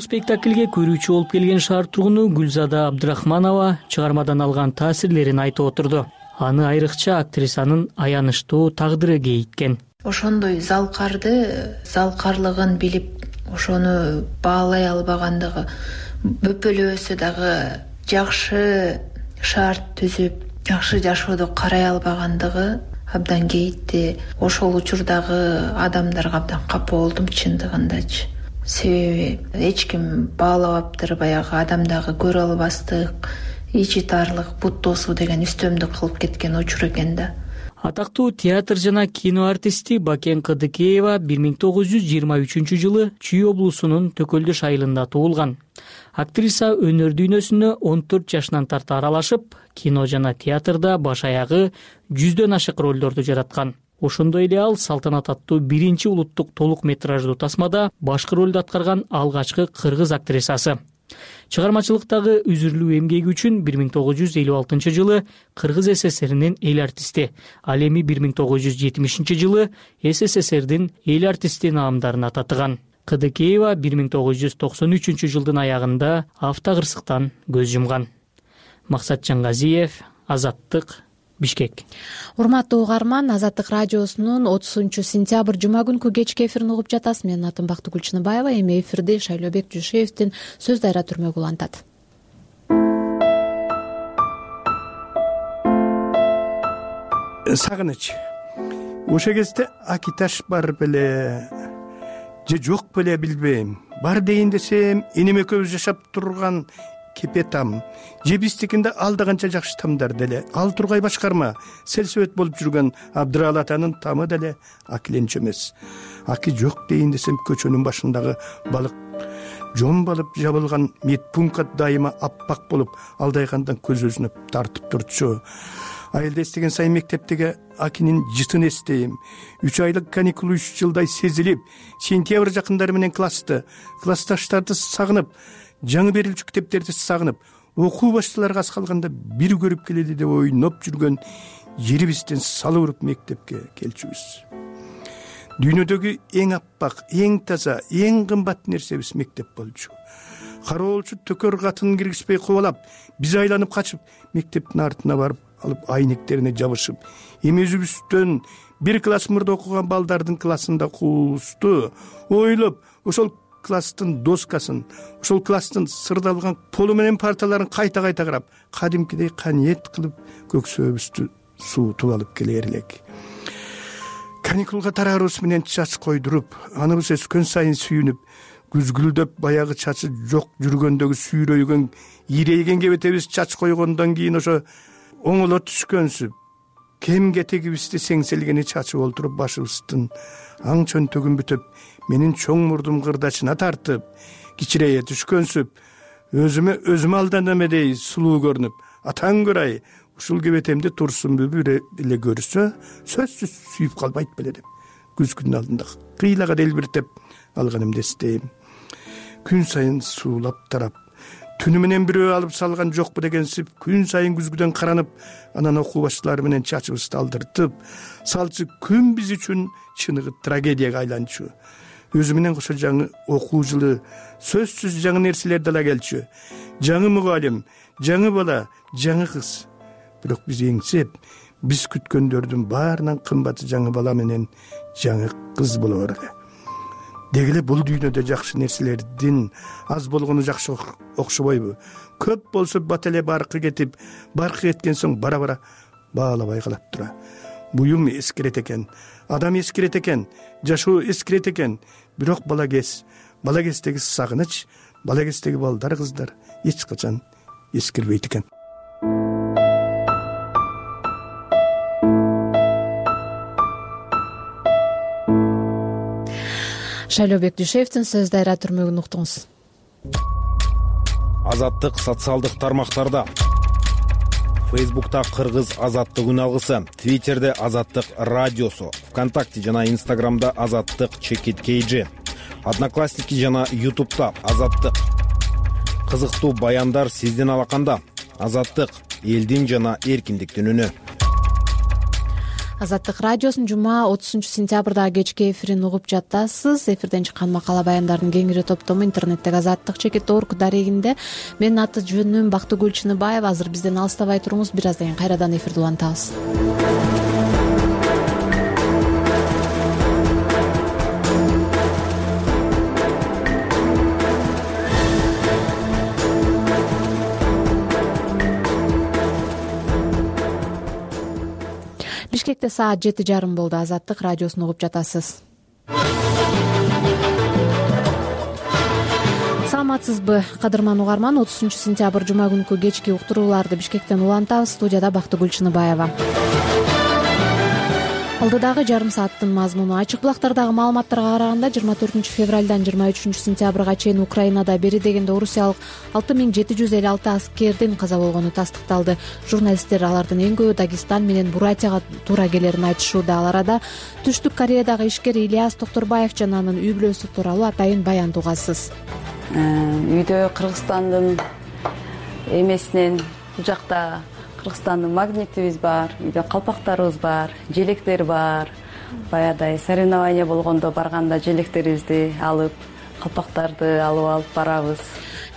Speaker 16: спектакльге көрүүчү болуп келген шаар тургуну Гүлзада Абдрахманова чыгармадан алган таасирлерин айтып отурду. Аны айрыкча актрисанын аянычтуу тагдыры кейиткен.
Speaker 3: Ошондой залкарлыгын билип, ошону баалай албагандыгы, бөпөлөбөсө дагы жакшы шарт түзүп, жакшы жашоодо карай албагандыгы абдан кейитти. Ошол учурдагы адамдарга абдан капа болдум чындыгындачы. Себеби эч ким баалабаптыр, баягы адамдагы көрө албастык, ичи тарлык, бут тосуу деген үстөмдүк кылып кеткен учур экен да.
Speaker 16: Атактуу театр жана кино артисти Бакен Кыдыкеева 1923-жылы Чүй облусунун Төкөлдөш айылында туулган. Актриса өнөр дүйнөсүнө 14 жашынан тарта аралашып, кино жана театрда баш аягы 100дөн ашык ролдорду жараткан. Ошондой эле ал салтанат аттуу биринчи улуттук толук метраждуу тасмада башкы ролду аткарган алгачкы кыргыз актрисасы. Чыгармачылыктагы үзүрлүү эмгеги үчүн 1956-жылы Кыргыз СССРинин эл артисти, ал эми 1970-жылы СССРдин эл артисти наамдарын татыган. Кыдыкеева 1993-жылдын аягында автокырсыктан көз жумган. Максат Жангазиев, Азаттык, Бишкек.
Speaker 1: Урматтуу угарман, Азаттык радиосунун 30-сентябрь жума күнкү кечки эфирин угуп жатасыз. Менин атым Бактыгүл Чыныбаева. Эми эфирди Шайлообек Жушеевдин сөз дайра түрмөгү улантат.
Speaker 19: Сагыныч. Ошо кезде Акиташ бар беле, же жок беле билбейм. Бар дейин десем, энем экөөбүз жашап турган Кепетам, же биздикинде алдыганча жакшы тамдар деле. Ал тургай башкарма, селсөбөт болуп жүргөн Абдырал атанын тамы деле Акиленчи эмес. Аки жок дейин десем, көчөнүн башындагы балык жомбалып жабылган медпункт дайыма аппак болуп, алдайгандан көз өзүнө тартып турчу. Айылда эстеген сайын мектептеги Акинин жытын эстейм. 3 айлык каникул 3 жылдай сезилип, сентябрь жакындары менен классташтарды сагынып, жаңы берилчү китептерди сагынып, окуу башталарга аз калганда бир көрүп келели деп ойноп жүргөн жерибизден салып уруп мектепке келчүбүз. Дүйнөдөгү эң аппак, эң таза, эң кымбат нерсебиз мектеп болчу. Кароолчу төкөр катын киргизбей кубалап, биз айланып качып, мектептин артына барып алып айнектерине жабышып, эми өзүбүздөн бир класс мурда окуган балдардын классында куусту ойлоп, ошол класстын доскасын, ошол класстын сырдалган полу менен парталарын кайта-кайта карап, кадимкидей каниет кылып көксөбүздү суутуп алып келер элек. Каникулга тараарыбыз менен чач койдуруп, аныбыз өскөн сайын сүйүнүп, күзгүлдөп баягы чачы жок жүргөндөгү сүйрөйгөн, ийрейген кебетебиз чач койгондон кийин ошо оңоло түшкөнсүп, кем кетегибизди сеңселгени чачып олтуруп, башыбыздын аң чөнтөгүн бүтөп, менин чоң мурдум кырдачына тартып, кичирейе түшкөнсүп, өзүмө алдан эмедей сулуу көрүнүп, атаң көрай, ушул кебетемди турсунбу бир эле көрсө, сөзсүз сүйүп калбайт беле деп, күзгүнүн алдында кыйлага делбиртеп алганымды эстейм. Күн сайын суулап тарап, түнү менен бирөө алып салган жокпу дегенсип, күн сайын күзгүдөн каранып, анан окуу башталары менен чачыбызды алдыртып, салчы күн биз үчүн чыныгы трагедияга айланчу. Өзү менен кошо жаңы окуу жылы, сөзсүз жаңы нерселер дала келчү. Жаңы мугалим, жаңы бала, жаңы кыз. Бирок биз эңсеп, биз күткөндөрдүн баарынан кымбаты жаңы бала менен жаңы кыз болор эле. Дегеле бул дүйнөдө жакшы нерселердин аз болгону жакшы окшобойбу? Көп болсо бат эле баркы кетип, баркы кеткен соң бара-бара баалабай калат тура. Буюм эскирет экен, адам эскирет экен, жашоо эскирет экен. Бирок балакестеги сагыныч, балакестеги балдар, кыздар эч качан эскирбейт экен.
Speaker 1: Шайлообек Жушеевдин сөз дайра түрмөгүн уктуңуз.
Speaker 10: Азаттык социалдык тармактарда. Фейсбукта Кыргыз Азаттык үн алгысы, Твиттерде Азаттык радиосу, ВКонтакте жана Инстаграмда Азаттык ЧКТ, Одноклассники жана Ютубта Азаттык. Кызыктуу баяндар сиздин алаканда. Азаттык элдин жана эркиндиктин үнү.
Speaker 1: Азаттык радиосунун жума 30-сентябрдагы кечки эфирин угуп жатасыз. Эфирден чыккан макала баяндардын кеңири топтому интернеттеги azattik.org дарегинде. Менин аты жөнүм Бактыгүл Чыныбаева. Азыр бизден алыстабай туруңуз, бир аздан кийин кайрадан эфирди улантабыз. Бишкекте саат 7:30 болду. Азаттык радиосун угуп жатасыз. Саламатсызбы, кадырман угарман? 30-сентябрь жума күнкү кечки уктурууларды Бишкектен улантабыз. Студияда Бактыгүл Чыныбаева. Алдыдагы жарым сааттын мазмуну: ачык булактардагы маалыматтарга караганда 24 февралдан 23 сентябрга чейин Украинада бери дегенде орусиялык 6756 аскердин каза болгону тастыкталды. Журналисттер алардын эң көбү Дагестан менен Бурятияга туура келерин айтышууда. Ал арада Түштүк Кореядагы ишкер Ильяс Токторбаев жана анын үй бүлөсү тууралуу атайын баянды угасыз.
Speaker 20: Үйдө Кыргызстандын эмесинен бул жакта Кыргызстандын магнитибиз бар, үйдө калпактарыбыз бар, желектер бар. Баядай соревнование болгондо барганда желектерибизди алып, калпактарды алып барабыз.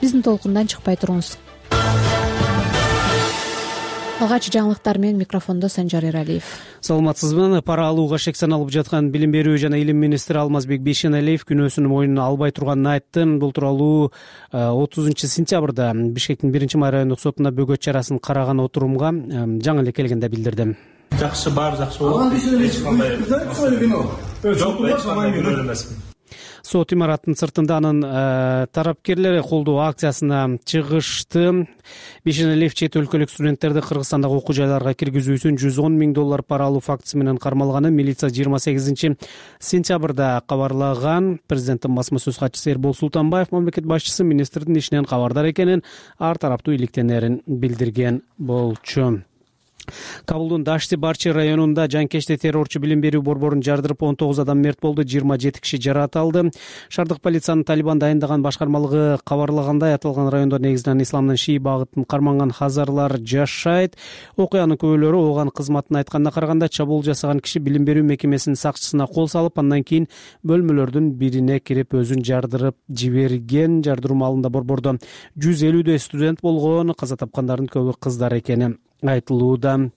Speaker 1: Биздин толкундан чыкпай туруңуз. Алгач жаңылыктар менен микрофондо Санжар Эралиев.
Speaker 4: Саламатсызбы? Пара алууга шек саналып жаткан Билим берүү жана илим министри Алмазбек Бейшеналиев күнөөсүн мойнуна албай турганын айтты. Бул тууралуу 30-сентябрда Бишкектин 1-май райондук сотуна бөгөт чарасын караган отурумга жаңы эле келгенде билдирди.
Speaker 21: Жакшы, баары жакшы болот. Эч кандай күнөө эмесмин.
Speaker 4: Сот имараттын сыртында анын тарапкерлери колдоо акциясына чыгышты. Бейшеналиев чет өлкөлүк студенттерди Кыргызстандагы окуу жайларга киргизүү үчүн $110 000 пара алуу фактысы менен кармалганын милиция 28 сентябрда кабарлаган. Президенттин басма сөз катчысы Эрбол Султанбаев мамлекет башчысы министрдин ишинен кабардар экенин, ар тараптуу иликтенерин билдирген болчу. Кабулдун Дашти-Барчи районунда жанкечти террорчу билим берүү борборун жардырып 19 адам мерт болду, 27 киши жаракат алды. Шаардык полициянын Талибан дайындаган башкармалыгы кабарлагандай, аталган райондо негизинен исламдын шии багытын карманган хазарлар жашайт. Окуянын күбөлөрү ооган кызматын айтканына караганда чабуул жасаган киши билим берүү мекемесинин сакчысына кол салып, андан кийин бөлмөлөрдүн бирине кирип өзүн жардырып жиберген. Жардыруу маалында борбордо 150 студент болгон, каза тапкандардын көбү кыздар экени айтылууда.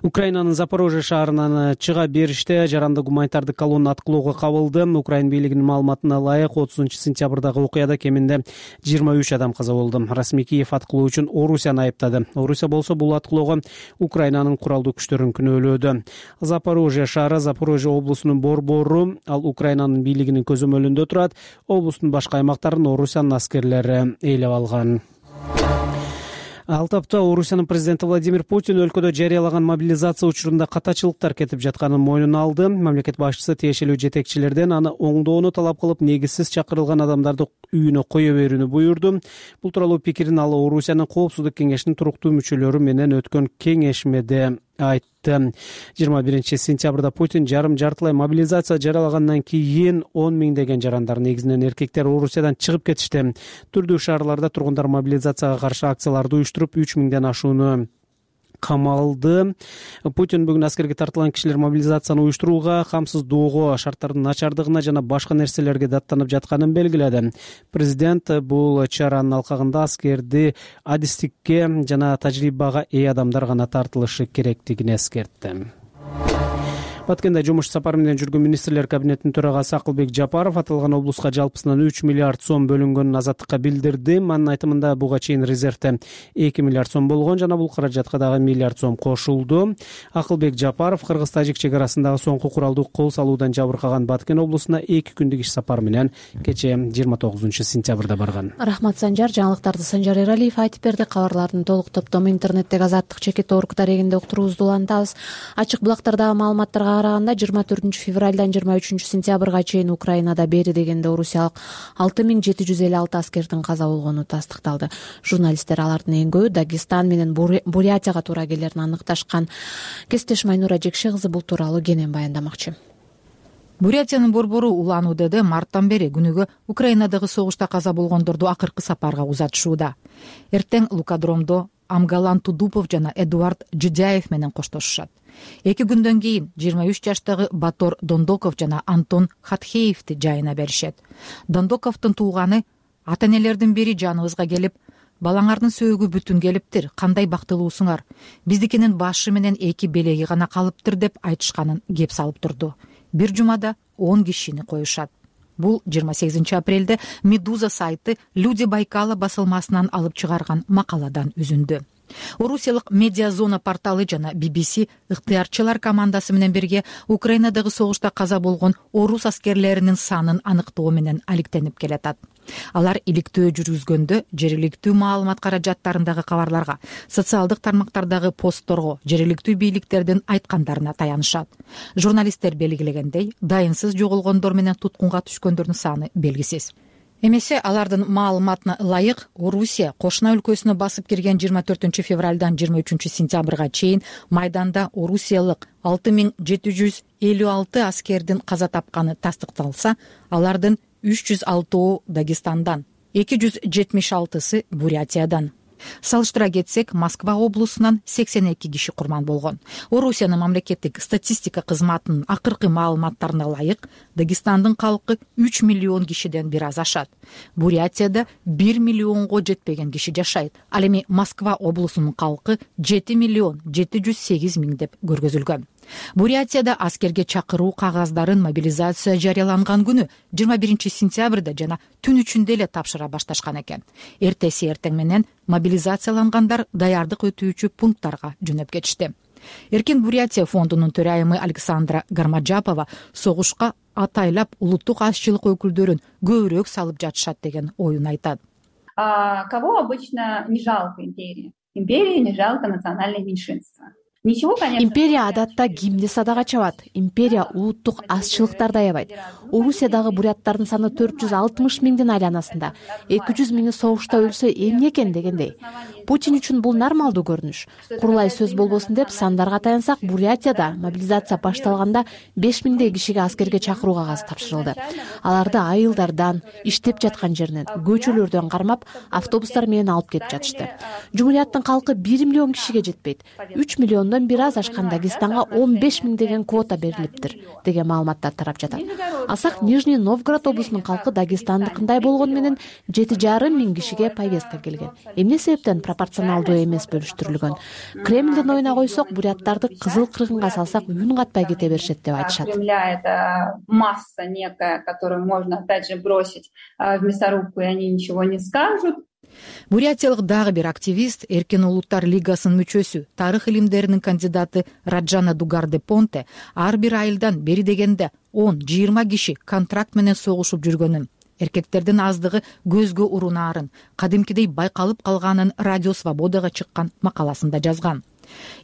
Speaker 4: Украинанын Запорожье шаарынан чыга бериште жарандык гуманитардык колонна аткылоого кабылды. Украин бийлигинин маалыматына ылайык 30-сентябрдагы окуяда кеминде 23 адам каза болду. Расмий Киев аткылоо үчүн Орусияны айыптады. Орусия болсо бул аткылоого Украинанын куралдуу күчтөрүн күнөөлөөдү. Запорожье шаары Запорожье облусунун борбору, ал Украинанын бийлигинин көзөмөлүндө турат. Облустун башка аймактарын Орусиянын аскерлери ээлеп алган. Ал тапта Орусиянын президенти Владимир Путин өлкөдө жарыялаган мобилизация учурунда катачылыктар кетип жатканын мойнуна алды. Мамлекет башчысы тиешелүү жетекчилерден аны оңдоону талап кылып, негизсиз чакырылган адамдарды үйүнө кое берүүнү буйрду. Бул тууралуу пикирин ал Орусиянын Коопсуздук кеңешинин туруктуу мүчөлөрү менен өткөн кеңешмеде айтты. 21 сентябрда Путин жартылай мобилизация жарыялагандан кийин 10 миңдеген жарандар, негизинен эркектер, Орусиядан чыгып кетишти. Түрдүү шаарларда тургундар мобилизацияга каршы акцияларды уюштуруп 3 миңден ашууну камалды. Путин бүгүн аскерге тартылган кишилер мобилизацияны уюштурууга, камсыздоого, шарттардын начардыгына жана башка нерселерге даттанып жатканын белгиледи. Президент бул чаранын алкагында аскерди адистикке жана тажрыйбага ээ адамдар гана тартылышы керектигин эскертти. Баткенде жумуш сапары менен жүргөн министрлер кабинетинин төрагасы Акылбек Жапаров аталган облуска жалпысынан 3 миллиард сом бөлүнгөнүн Азаттыкка билдирди. Анын айтымында буга чейин резервде 2 миллиард сом болгон жана бул каражатка дагы миллиард сом кошулду. Акылбек Жапаров Кыргыз-Тажик чек арасындагы соңку куралдуу кол салуудан жабыркаган Баткен облусуна 2 күндүк иш сапар менен кечээ 29 сентябрда барган.
Speaker 1: Рахмат Санжар. Жаңылыктарды Санжар Эралиев айтып берди. Кабарлардын толук топтому интернеттеги azattik.org дарегинде уктуруубузду улантабыз. Ачык булактардагы маалыматтарга караганда 24 февралдан 23 сентябрга чейин Украинада бери дегенде орусиялык 6756 аскердин каза болгону тастыкталды. Журналисттер алардын эң көбү Дагестан менен Бурятияга туура келерин аныкташкан. Кесиптешим Айнура Жекше кызы бул тууралуу кенен баяндамакчы.
Speaker 9: Бурятиянын борбору Улан УДД марттан бери күнүгө Украинадагы согушта каза болгондорду акыркы сапарга узатышууда. Эртең Лукадромдо Амгалан Тудупов жана Эдуард Жидяев менен коштошушат. 2 күндөн кийин 23 жаштагы Батор Дондоков жана Антон Хатхеевди жайына беришет. Дондоковдун тууганы ата-энелердин бири жаныбызга келип, балаңардын сөөгү бүтүн келиптир, кандай бактылуусуңар. Биздикинин башы менен 2 белеги гана калыптыр деп айтышканын кеп салып турду. Бир жумада 10 кишини коюшат. Бул 28 апрелде Медуза сайты Люди Байкала басылмасынан алып чыгарган макаладан үзүндү. Орусиялык Медиазона порталы жана BBC ыктыярчылар командасы менен бирге Украинадагы согушта каза болгон орус аскерлеринин санын аныктоо менен алектенип келатат. Алар иликтөө жүргүзгөндө жергиликтүү маалымат каражаттарындагы кабарларга, социалдык тармактардагы постторго, жергиликтүү бийликтердин айткандарына таянышат. Журналисттер белгилегендей, дайынсыз жоголгондор менен туткунга түшкөндөрдүн саны белгисиз. Эмесе алардын маалыматына ылайык Орусия кошуна өлкөсүнө басып кирген 24 февралдан 23 сентябрга чейин майданда орусиялык 6756 аскердин каза тапканы тастыкталса, алардын 306 Дагестандан, 276сы Бурятиядан. Салыштыра кетсек, Москва облусунан 82 киши курман болгон. Орусиянын мамлекеттик статистика кызматынын акыркы маалыматтарына ылайык, Дагестандын калкы 3 миллион кишиден бир аз ашат. Бурятияда 1 миллионго жетпеген киши жашайт. Ал эми Москва облусунун калкы 7 миллион 708 миң деп көргөзүлгөн. Бурятияда аскерге чакыруу кагаздарын мобилизация жарыяланган күнү 21 сентябрда жана түн ичинде эле тапшыра башташкан экен. Эртеси эртең менен мобилизациялангандар даярдык өтүүчү пункттарга жөнөп кетишти. Эркин Бурятия фондунун төрайымы Александра Гармаджапова согушка атайлап улуттук азчылык өкүлдөрүн көбүрөөк салып жатышат деген оюн айтат.
Speaker 5: Кого обычно не жалко империи? Империи не жалко национальное меньшинство.
Speaker 1: Империя адатта кимди садага чабат. Империя улуттук азчылыктарды аябайт. Орусиядагы буряттардын саны 460 миңдин айланасында. 200 миңи согушта өлсө эмне экен дегендей. Путин үчүн бул нормалдуу көрүнүш. Курулай сөз болбосун деп сандарга таянсак, Бурятияда мобилизация башталганда 5 миңдей кишиге аскерге чакыруу кагазы тапшырылды. Аларды айылдардан, иштеп жаткан жеринен, көчөлөрдөн кармап, автобустар менен алып кетип жатышты. Жумурияттын калкы 1 миллион кишиге жетпейт. 3 миллиондон бир аз ашкан Дагестанга 15 миң деген квота берилиптир деген маалыматтар тарап жатат. Алсак Нижний Новгород облусунун калкы Дагестандыкындай болгону менен 7,5 миң кишиге повестка келген. Эмне себептен пропорционалдуу эмес бөлүштүрүлгөн? Кремлдин оюна койсок, буряттарды кызыл кыргынга салсак үн катпай кете беришет деп айтышат.
Speaker 5: Это масса некая, которую можно опять же бросить в мясорубку, и они ничего не скажут.
Speaker 9: Бурятиялык дагы бир активист, Эркин улуттар лигасынын мүчөсү, тарых илимдеринин кандидаты Раджана Дугарде Понте ар бир айылдан бери дегенде 10-20 киши контракт менен согушуп жүргөнүн, эркектердин аздыгы көзгө урунаарын, кадимкидей байкалып калганын Радио Свободага чыккан макаласында жазган.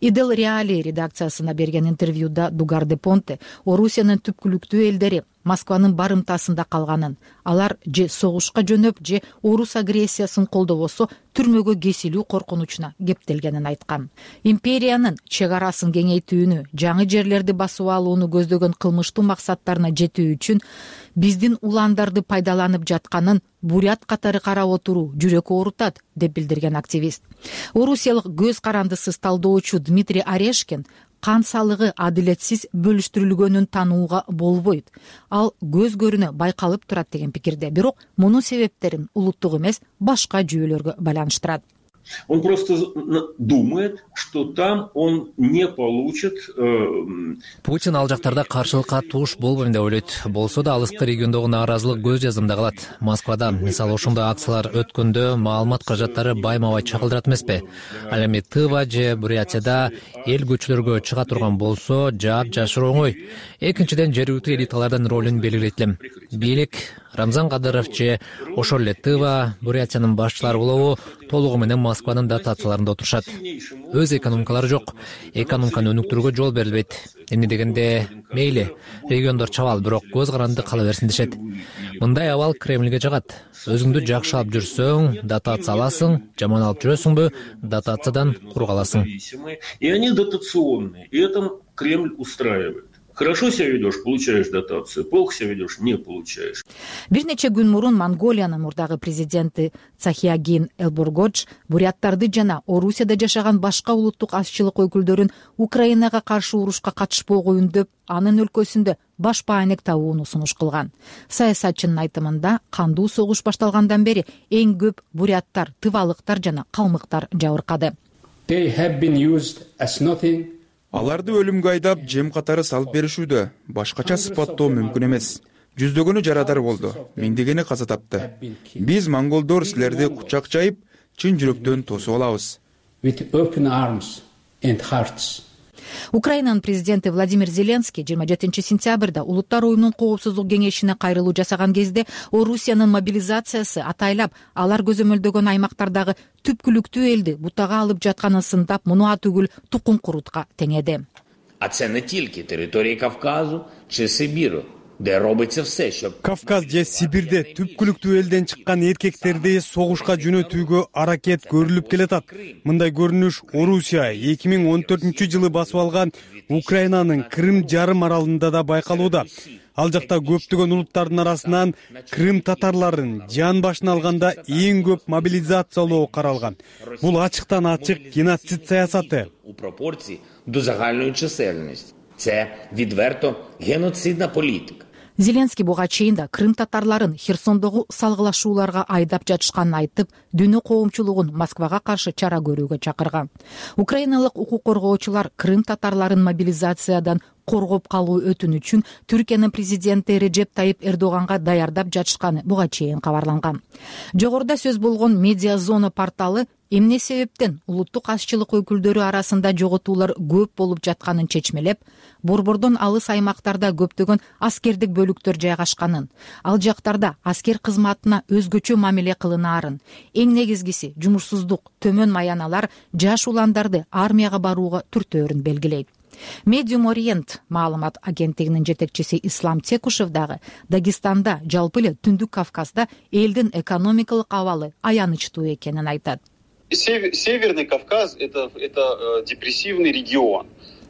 Speaker 9: Идел Реали редакциясына берген интервьюда Дугарде Понте Орусиянын түпкүлүктүү элдери Москванын барымтасында калганын, алар же согушка жөнөп, же орус агрессиясын колдобосо түрмөгө кесилүү коркунучуна кептелгенин айткан. Империянын чек арасын кеңейтүүнү, жаңы жерлерди басып алууну көздөгөн кылмыштуу максаттарына жетүү үчүн биздин уландарды пайдаланып жатканын бурят катары карап отуруу жүрөк оорутат, деп билдирген активист. Орусиялык көз карандысыз талдоочу Дмитрий Орешкин кан салыгы адилетсиз бөлүштүрүлгөнүн таанууга болбойт. Ал көз көрүнө байкалып турат деген пикирде. Бирок мунун себептерин улуттук эмес, башка жүйөлөргө байланыштырат.
Speaker 22: Он просто думает, что там он не получит.
Speaker 23: Путин ал жактарда каршылыкка туш болбойм деп ойлойт. Болсо да алыскы региондогу нааразылык көз жазымда калат. Москвада, мисалы, ошондой акциялар өткөндө маалымат каражаттары байма-бай чагылдырат эмеспи? Ал эми Тыва же Бурятияда эл көчөлөргө чыга турган болсо, жаап жашыруу оңой. Экинчиден, жергиликтүү элиталардын ролун белгилейт элем. Бийлик, Рамзан Кадыров же ошол эле Тыва, Бурятиянын башчылары болобу толугу менен Москванын дотацияларында отурушат. Өз экономикалары жок. Экономиканы өнүктүрүүгө жол берилбейт. Эмне дегенде, мейли, региондор чабал, бирок көз каранды кала берсин дешет. Мындай абал Кремльге жагат. Өзүңдү жакшы алып жүрсөң, дотация аласың, жаман алып жүрөсүңбү, дотациядан курук аласың.
Speaker 22: И они дотационные. И это Кремль устраивает. Хорошо себя ведешь, получаешь дотацию. Плохо себя ведешь, не получаешь.
Speaker 9: Бир нече күн мурун Монголиянын мурдагы президенти Цахиагин Элборгодж буряттарды жана Орусияда жашаган башка улуттук азчылык өкүлдөрүн Украинага каршы урушка катышпоого үндөп, анын өлкөсүндө баш баанек табууну сунуш кылган. Саясатчынын айтымында, кандуу согуш башталгандан бери эң көп буряттар, тывалыктар жана калмыктар жабыркады.
Speaker 2: Аларды өлүмгө айдап, жем катары салып беришүүдө. Башкача сыпаттоо мүмкүн эмес. Жүздөгөнү жарадар болду, миңдегени каза тапты. Биз монголдор силерди кучак жайып, чын жүрөктөн тосуп алабыз.
Speaker 9: Украинанын президенти Владимир Зеленский 27 сентябрда Улуттар уюмунун коопсуздук кеңешине кайрылуу жасаган кезде Орусиянын мобилизациясы атайлап алар көзөмөлдөгөн аймактардагы түпкүлүктүү элди бутага алып жатканын сындап, муну түгүл тукум курутка теңеди.
Speaker 6: А це не тільки території Кавказу чи Сибіру, де робиться все, щоб
Speaker 8: Кавказ же Сибирде түпкүлүктүү элден чыккан эркектерди согушка жөнөтүүгө аракет көрүлүп келатат. Мындай көрүнүш Орусия 2014-жылы басып алган Украинанын Крым жарым аралында да байкалууда. Ал жакта көптөгөн улуттардын арасынан Крым татарларын жан башына алганда эң көп мобилизациялоо каралган. Бул ачыктан ачык геноцид саясаты.
Speaker 6: У пропорції до загальної чисельності. Це відверто геноцидна політика.
Speaker 9: Зеленский буга чейин да Крым татарларын Херсондогу салгылашууларга айдап жатышканын айтып, дүйнө коомчулугун Москвага каршы чара көрүүгө чакырган. Украиналык укук коргоочулар Крым татарларын мобилизациядан коргоп калуу өтүнүчүн Түркиянын президенти Режеп Тайип Эрдоганга даярдап жатышканы буга чейин кабарланган. Жогоруда сөз болгон Медиа Зона порталы эмне себептен улуттук азчылык өкүлдөрү арасында жоготуулар көп болуп жатканын чечмелеп, борбордон алыс аймактарда көптөгөн аскердик бөлүктөр жайгашканын, ал жактарда аскер кызматына өзгөчө мамиле кылынаарын, эң негизгиси жумушсуздук, төмөн маяналар жаш уландарды армияга барууга түртөөрүн белгилейт. Medium Orient маалымат агенттигинин жетекчиси Ислам Текушев дагы Дагестанда, жалпы эле Түндүк Кавказда элдин экономикалык абалы аянычтуу экенин айтат.
Speaker 24: Северный Кавказ это депрессивный регион.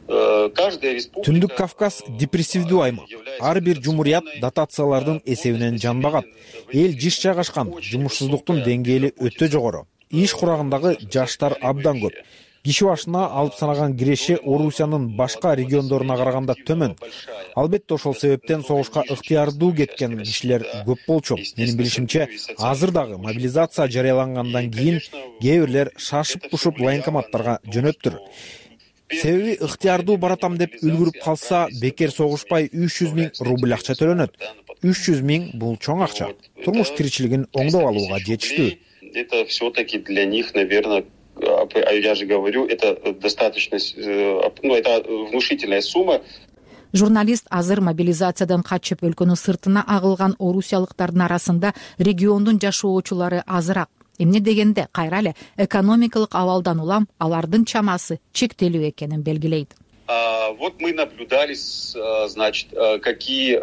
Speaker 10: Түндүк Кавказ депрессивдүү аймак. Ар бир жумурият дотациялардын эсебинен жан багат. Эл жиш жайгашкан, жумушсуздуктун деңгээли өтө жогору. Иш курагындагы жаштар абдан көп. Киши башына алып санаган киреши Орусиянын башка региондоруна караганда төмөн. Албетте ошол себептен согушка ыктыярдуу кеткен кишилер көп болчу. Менин билишимче, азыр дагы мобилизация жарыялангандан кийин кээ бирлер шашып-пушуп военкоматтарга жөнөптүр. Себеби ыктыярдуу баратам деп үлгүрүп калса, бекер согушпай 300 000 рубль акча төлөнөт. 300 000 бул чоң акча. Турмуш тиричилигин оңдоп алууга жетиштүү.
Speaker 24: Это все-таки для них, наверное, я же говорю, это достаточно, это внушительная сумма.
Speaker 9: Журналист азыр мобилизациядан качып өлкөнүн сыртына агылган орусиялыктардын арасында региондун жашоочулары азыраак. Эмне дегенде кайра эле экономикалык абалдан улам алардын чамасы чектелүү экенин белгилейт.
Speaker 24: Вот мы наблюдали, значит, какие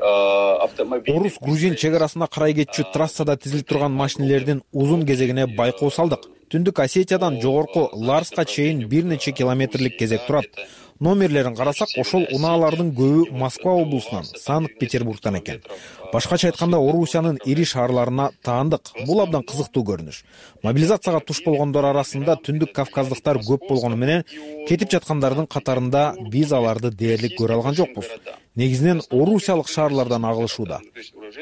Speaker 24: автомобили.
Speaker 10: Орус-грузин чек арасына карай кетчү трассада тизилип турган машинелердин узун кезегине байкоо салдык. Түндүк Осетиядан жогорку Ларска чейин бир нече километрлик кезек турат. Номерлерин карасак, ошол унаалардын көбү Москва облусунан, Санкт-Петербургтан экен. Башкача айтканда, Орусиянын ири шаарларына таандык. Бул абдан кызыктуу көрүнүш. Мобилизацияга туш болгондор арасында Түндүк Кавказдыктар көп болгону менен, кетип жаткандардын катарында биз аларды дээрлик көрө алган жокпуз. Негизинен орусиялык шаарлардан агылышууда.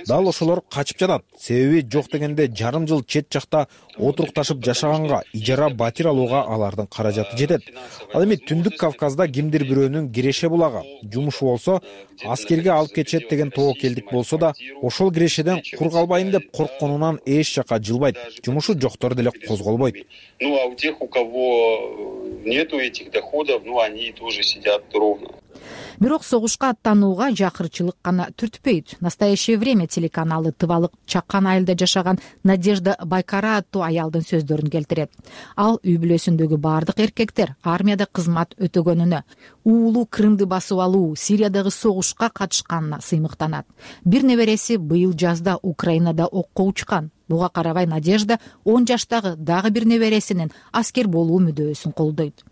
Speaker 10: Дал ошолор качып жатат. Себеби жок дегенде жарым жыл чет жакта отурукташып жашаганга, ижара батир алууга алардын каражаты жетет. Ал эми Түндүк Кавказда кимдир бирөөнүн киреше булагы, жумушу болсо, аскерге алып кетет деген тобокелдик болсо да, ошол кирешеден кур калбайын деп коркконунан эч жака жылбайт. Жумушу жоктор деле козголбойт.
Speaker 24: Ну а у тех, у кого нету этих доходов, они тоже сидят ровно.
Speaker 9: Бирок согушка аттанууга жакырчылык гана түртпөйт. Настоящее время телеканалы тывалык чакан айылда жашаган Надежда Байкара аттуу аялдын сөздөрүн келтирет. Ал үй бүлөсүндөгү бардык эркектер армияда кызмат өтөгөнүнө, уулу Крымды басып алуу, Сириядагы согушка катышканына сыймыктанат. Бир небереси быйыл жазда Украинада окко учкан. Буга карабай Надежда 10 жаштагы дагы бир небересинин аскер болуу мүдөөсүн колдойт.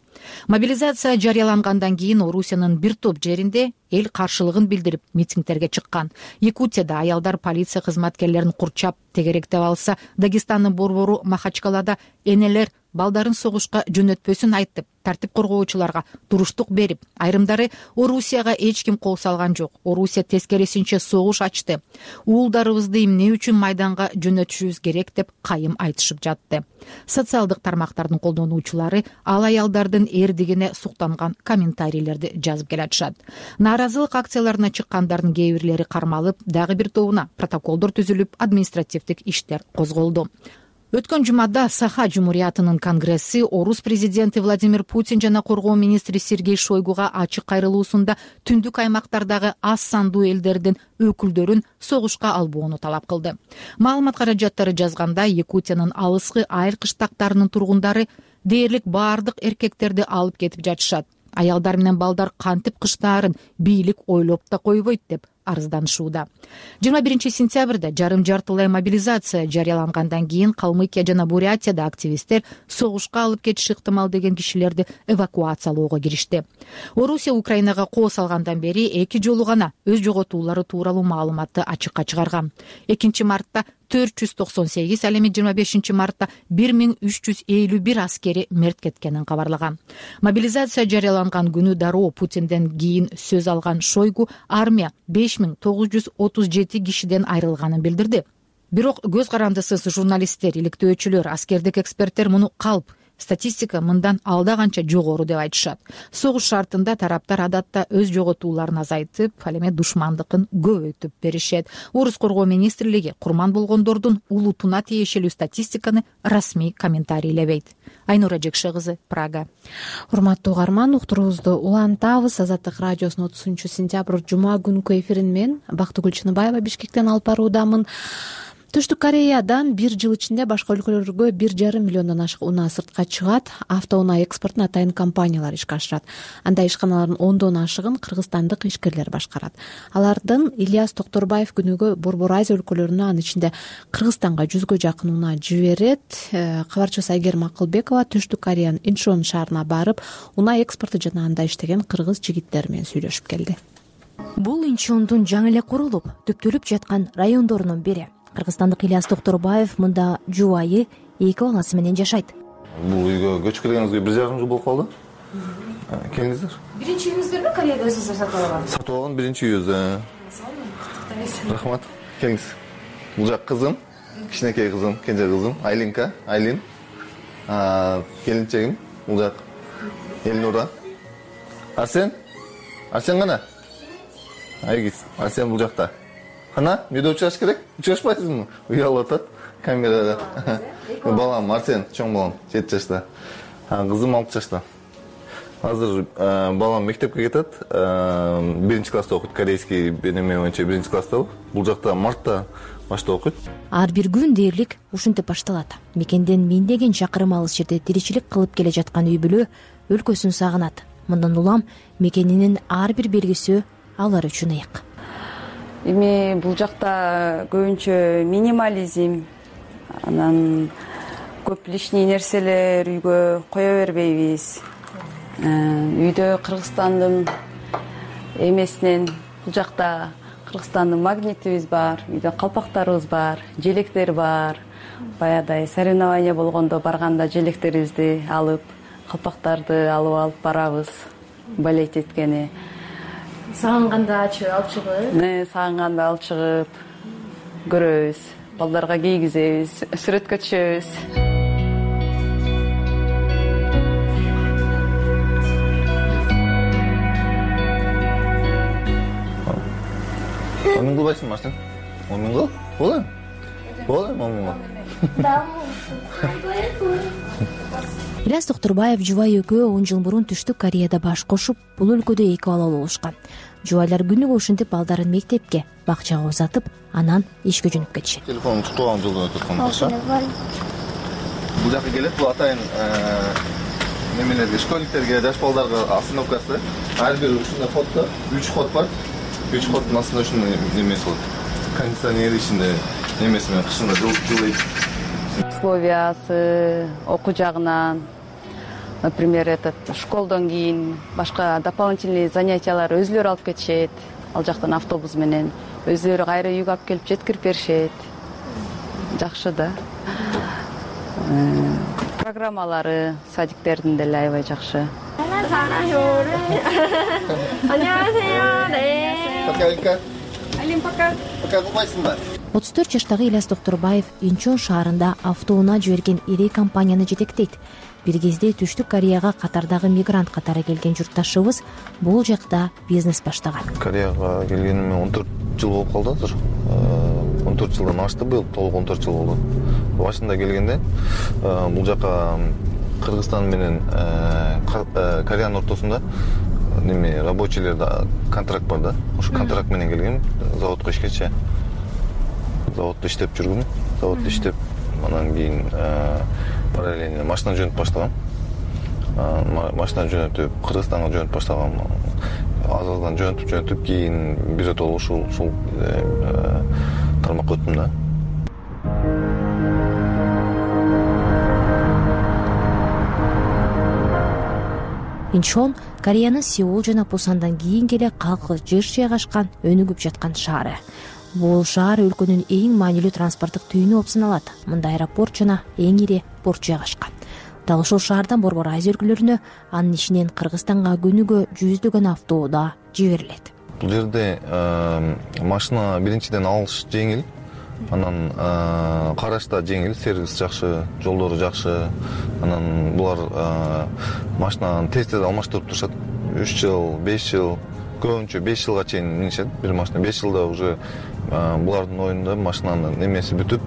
Speaker 9: Мобилизация жарыялангандан кийин Орусиянын бир топ жеринде эл каршылыгын билдирип митингтерге чыккан. Якутияда аялдар полиция кызматкерлерин курчап тегеректеп алса, Дагестандын борбору Махачкалада энелер балдарын согушка жөнөтпөсүн айтып, тартип коргоочуларга туруштук берип, айрымдары Орусияга эч ким кол салган жок. Орусия тескерисинче согуш ачты. Уулдарыбызды эмне үчүн майданга жөнөтүшүбүз керек деп кайым айтышып жатты. Социалдык тармактардын колдонуучулары ал аялдардын эрдигине суктанган комментарийлерди жазып келатышат. Нааразылык акцияларына чыккандардын кээ бирлери кармалып, дагы бир тобуна протоколдор түзүлүп, административдик иштер козголду. Өткөн жумада Саха Жумуриятынын конгресси Орус президенти Владимир Путин жана коргоо министри Сергей Шойгуга ачык кайрылуусунда түндүк аймактардагы аз сандуу элдердин өкүлдөрүн согушка албоону талап кылды. Маалымат каражаттары жазганда, Якутиянын алыскы айыл кыштактарынын тургундары дээрлик баардык эркектерди алып кетип жатышат. Аялдар менен балдар кантип кыштаарын бийлик ойлоп да койбойт деп арызданышууда. 21 сентябрда жарым-жартылай мобилизация жарыялангандан кийин Калмыкия жана Бурятияда активисттер согушка алып кетиши ыктымал деген кишилерди эвакуациялоого киришти. Орусия Украинага кол салгандан бери 2 жолу гана өз жоготуулары тууралуу маалыматты ачыкка чыгарган. 2 мартта 498, ал эми 25 мартта 1351 аскери мерт кеткенин кабарлаган. Мобилизация жарыяланган күнү дароо Путинден кийин сөз алган Шойгу армия 5937 кишиден айрылганын билдирди. Бирок көз карандысыз журналисттер, иликтөөчүлөр, аскердик эксперттер муну калп, статистика мындан алда канча жогору деп айтышат. Согуш шартында тараптар адатта өз жоготууларын азайтып, ал эми душмандыкын көбөйтүп беришет. Орус коргоо министрлиги курман болгондордун улутуна тиешелүү статистиканы расмий комментарийлебейт. Айнура Жекше кызы, Прага.
Speaker 1: Урматтуу угарман, уктуруубузду улантабыз. Азаттык радиосунун 30 сентябрь жума күнкү эфирин мен Бактыгүл Чыныбаева Бишкектен алып баруудамын. Түштүк Кореядан бир жыл ичинде башка өлкөлөргө 1,5 миллиондон ашык унаа сыртка чыгат. Автоунаа экспортун атайын компаниялар ишке ашырат. Андай ишканалардын 10дон ашыгын кыргызстандык ишкерлер башкарат. Алардын Ильяс Токторбаев күнүгө Борбор Азия өлкөлөрүнө, анын ичинде Кыргызстанга 100гө жакын унаа жиберет. Кабарчыбыз Айгерим Акылбекова Түштүк Кореянын Инчон шаарына барып, унаа экспорту жана анда иштеген кыргыз жигиттери менен сүйлөшүп келди.
Speaker 7: Бул Инчондун жаңы эле курулуп, түптөлүп жаткан райондорунун бири. Кыргызстандык Ильяс Токторбаев мында жубайы 2 баласы менен жашайт.
Speaker 11: Бул үйгө көчүп келгениңизге 1,5 жыл болуп калды. Келиңиздер.
Speaker 7: Биринчи үйүңүздөрбү Кореяда өзүңүз сатып алган?
Speaker 11: Сатып алган биринчи үйүбүз. Рахмат. Келиңиз. Бул жак кызым, кичинекей кызым, кенже кызым, Айлин. Келинчегим, бул жак Элнура. Арсен кана? Айгиз, Арсен бул жакта. Кана, үйдө учураш керек? Учурашпайсызбы? Уялып атат камерада. Балам Арсен, чоң балам, 7 жашта. Кызым 6 жашта. Азыр балам мектепке кетет. 1 класста окуйт, корейский бенеме боюнча 1 класста. Бул жакта мартта башта окуйт.
Speaker 7: Ар бир күн дээрлик ушинтип башталат. Мекенден миңдеген чакырым алыс жерде тиричилик кылып келе жаткан үй бүлө өлкөсүн сагынат. Мындан улам мекенинин ар бир белгиси алар үчүн ыйык.
Speaker 20: Эми бул жакта көбүнчө минимализм, анан көп лишний нерселер үйгө кое бербейбиз. Үйдө Кыргызстандын эмесинен бул жакта Кыргызстандын магнитибиз бар, үйдө калпактарыбыз бар, желектер бар. Баягыдай соревнование болгондо барганда желектерибизди алып, калпактарды алып барабыз, болеть эткени.
Speaker 7: Сагынганда алып чыгып?
Speaker 20: Сагынганда алып чыгып көрөбүз, балдарга кийгизебиз, сүрөткө түшөбүз.
Speaker 11: Момин кылбайсыңбы Арсен? Момин кыл. Болду, момин кыл.
Speaker 7: Ильяс Токторбаев жубай экөө 10 жыл мурун Түштүк Кореяда баш кошуп, бул өлкөдө 2 бала болушкан. Жубайлар күнүгө ушинтип балдарын мектепке, бакчага узатып, анан ишке жөнөп кетишет.
Speaker 11: Телефонун туктаган жылдан өтүп аткан болчу. Бул жака келет, бул атайын немелерге, школьниктерге, жаш балдарга остановкасы. Ар бир ушундай ходдо 3 ход бар. 3 ходдун астында ушундай немеси болот. Кондиционер ичинде немеси менен кышында жылыйт.
Speaker 20: Условиясы, окуу жагынан например, школдон кийин башка дополнительный занятиялар өзүлөрү алып кетишет. Ал жактан автобус менен өзүлөрү кайра үйгө алып келип жеткирип беришет. Жакшы да. Программалары садиктердин деле аябай жакшы.
Speaker 11: Пока.
Speaker 7: 34 жаштагы Ильяс Докторбаев Инчон шаарында автоунаа жиберген ири компанияны жетектейт. Бир кезде Түштүк Кореяга катардагы мигрант катары келген журтташыбыз бул жакта бизнес баштаган.
Speaker 11: Кореяга келгениме 14 жыл болуп калды азыр. 14 жылдан ашты, быйыл толук 14 жыл болду. Башында келгенде бул жака Кыргызстан менен Кореянын ортосунда рабочийлерде контракт бар да. Ошо контракт менен келгем, заводко ишкечи. Заводдо иштеп жүргүм. Заводдо иштеп, анан кийин параллельно машина жөнөтүп баштагам. Машина жөнөтүп, Кыргызстанга жөнөтүп баштагам. Азаздан жөнөтүп, кийин биротоло ушул тармакка өттүм да.
Speaker 7: Инчон Кореянын Сеул жана Пусандан кийин келе калкы жыш жайгашкан, өнүгүп жаткан шаары. Бул шаар өлкөнүн эң маанилүү транспорттук түйүнү болуп саналат. Мында аэропорт жана эң ири порт жайгашкан. Дал ушул шаардан Борбор Азия өлкөлөрүнө анын ичинен Кыргызстанга күнүгө жүздөгөн автоунаа жиберилет.
Speaker 11: Бул жерде машина биринчиден алыш жеңил, анан караш да жеңил, сервис жакшы, жолдору жакшы. Анан булар машинаны тез алмаштырып турушат. 3 жыл, 5 жыл, көбүнчө 5 жылга чейин минишет. Бир машина 5 жылда уже булардын оюнда машинанын немеси бүтүп,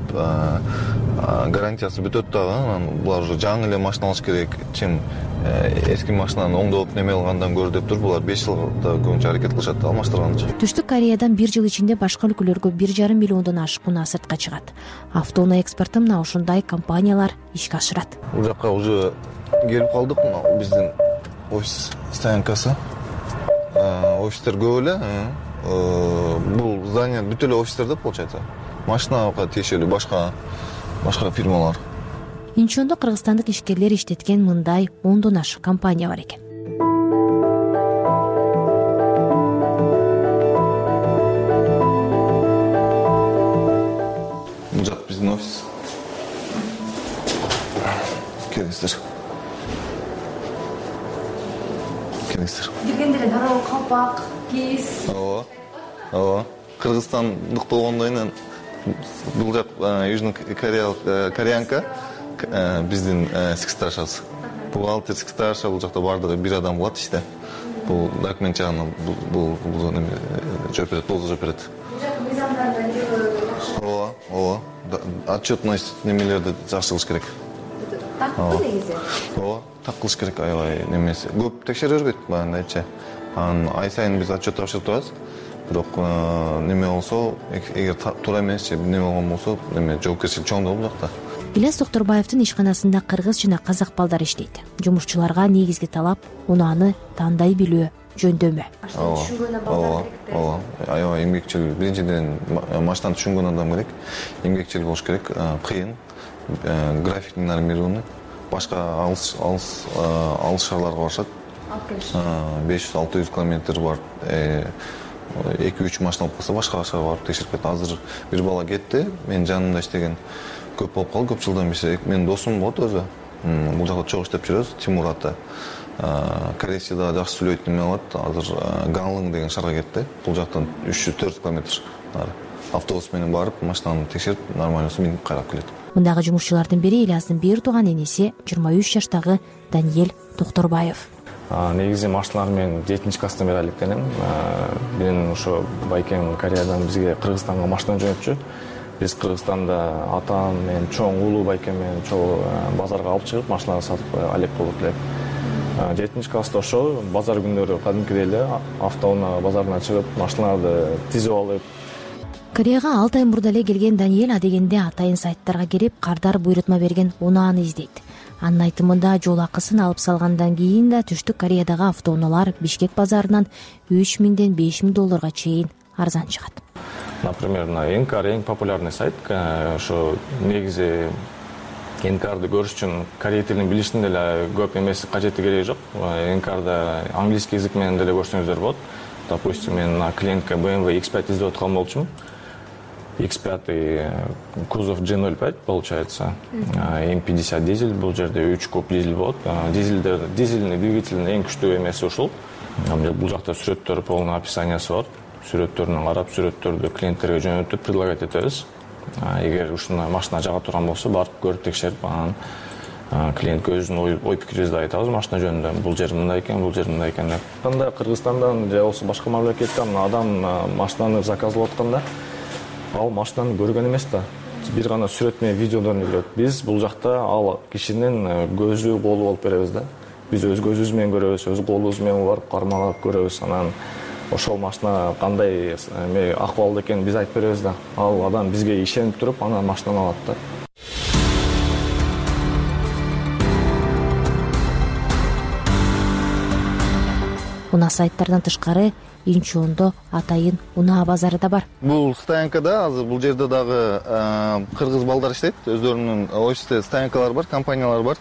Speaker 11: гарантиясы бүтөт дагы. Анан булар уже жаңы эле машина алыш керек, чем эски машинаны оңдоп неме алгандан көрө деп туруп, булар 5 жылда көбүнчө аракет кылышат алмаштырганчы.
Speaker 7: Түштүк Кореядан 1 жыл ичинде башка өлкөлөргө 1,5 миллиондон ашык унаа сыртка чыгат. Автоунаа экспорту мына ушундай компаниялар ишке ашырат.
Speaker 11: Бул жака уже келип калдык. Биздин офис стоянкасы. Офистер көп эле. Бул здание бүт эле офистер да получается. Машинага тиешелүү башка фирмалар.
Speaker 7: Инчондо кыргызстандык ишкерлер иштеткен мындай 10дон ашык компания бар экен.
Speaker 11: Бул жак биздин офис. Келиңиздер.
Speaker 7: Киргенде эле дароо калпак, кийиз.
Speaker 11: Ооба. Кыргызстандык болгондон кийин бул жак Южный кореянка, биздин секретаршабыз. Бухгалтер, секретарша, бул жакта бардыгы бир адам кылат иште. Бул документ жагынан бул жооп берет, толтуруп жооп берет. Ооба. Отчетность немелерди жакшы кылыш керек. Так негизи. Ооба, так кылыш керек, аябай немеси. Көп текшере бербейт баяндайчы. Анан ай сайын биз отчет тапшырып турабыз. Бирок неме болсо, эгер туура эмес же неме болгон болсо, неме жоопкерчилик чоң да бул жакта.
Speaker 7: Ильяс Докторбаевдин ишканасында кыргыз жана казак балдар иштейт. Жумушчуларга негизги талап унааны тандай билүү, жөндөмө.
Speaker 11: Ооба. Аябай эмгекчил, биринчиден машинаны түшүнгөн адам керек, эмгекчил болуш керек, кыйын, график нормированный, башка алыс шаарларга барышат. 500-600 километр бар. 2-3 машина алып калса башка шаарга барып текшерип кетет. Азыр бир бала кетти, менин жанымда иштеген көп болуп калды, көп жылдан бери. Менин досум болот өзү. Бул жакта чогуу иштеп жүрөбүз, Тимур аты. Корейче да жакшы сүйлөйт, неме алат. Азыр Ганлын деген шаарга кетти. Бул жактан 304 километр автобус менен барып, машинаны текшерип, нормально минип кайрап келет.
Speaker 7: Мындагы жумушчулардын бири Ильястын бир тууган энеси 23 жаштагы Даниэль Докторбаев.
Speaker 12: Негизи машиналар мен 7-класстан бери алектенем. Мен ошо байкем Кореядан бизге Кыргызстанга машина жөнөтчү. Биз Кыргызстанда атам менен чоң уулу байкем менен чоң базарга алып чыгып машина сатып алек болуп элек. 7-класста ошо базар күндөрү кадимкидей эле автоунаа базарына чыгып машиналарды тизип алып.
Speaker 7: Кореяга 6 ай мурда эле келген Даниэль адегенде атайын сайттарга кирип кардар буйрутма берген унааны издейт. Анын айтымында жол акысын алып салгандан кийин да Түштүк Кореядагы автоунаалар Бишкек базарынан $3000–5000 чейин арзан чыгат.
Speaker 12: Например, на Энкар эң популярный сайт, ошо негизи НКРды көрүш үчүн корей тилин билиштин деле көп эмес кажети кереги жок. НКРды английский язык менен деле көрсөңүздөр болот. Допустим, мен мына клиентке BMW X5 издеп аткан болчумун. X5 кузов G05 получается. М50 дизель, бул жерде 3 куб дизель болот. Дизельный двигателдин эң күчтүү эмеси ушул. Бул жакта сүрөттөр, полный описаниясы бар. Сүрөттөрүнөн карап, сүрөттөрдү клиенттерге жөнөтүп предлагать этебиз. Эгер ушуна машина жага турган болсо, барып көрүп текшерип, анан клиентке өзүнүн ой пикирибизди айтабыз машина жөнүндө. Бул жер мындай экен, бул жер мындай экен деп. Анда Кыргызстандан же болбосо башка мамлекеттен адам машинаны заказлап атканда, ал машинаны көргөн эмес да. Бир гана сүрөт менен видеодон көрөт. Биз бул жакта ал кишинин көзү, колу болуп беребиз да. Биз өз көзүбүз менен көрөбүз, өз колубуз менен барып кармалап көрөбүз. Анан ошол машина кандай акыбалда экенин биз айтып беребиз да. Ал адам бизге ишенип туруп, анан машинаны алат да.
Speaker 7: Унаа сайттардан тышкары Инчондо атайын унаа базары да бар.
Speaker 11: Бул стоянкада азыр бул жерде дагы кыргыз балдар иштейт. Өздөрүнүн офисте стоянкалары бар, компаниялар бар.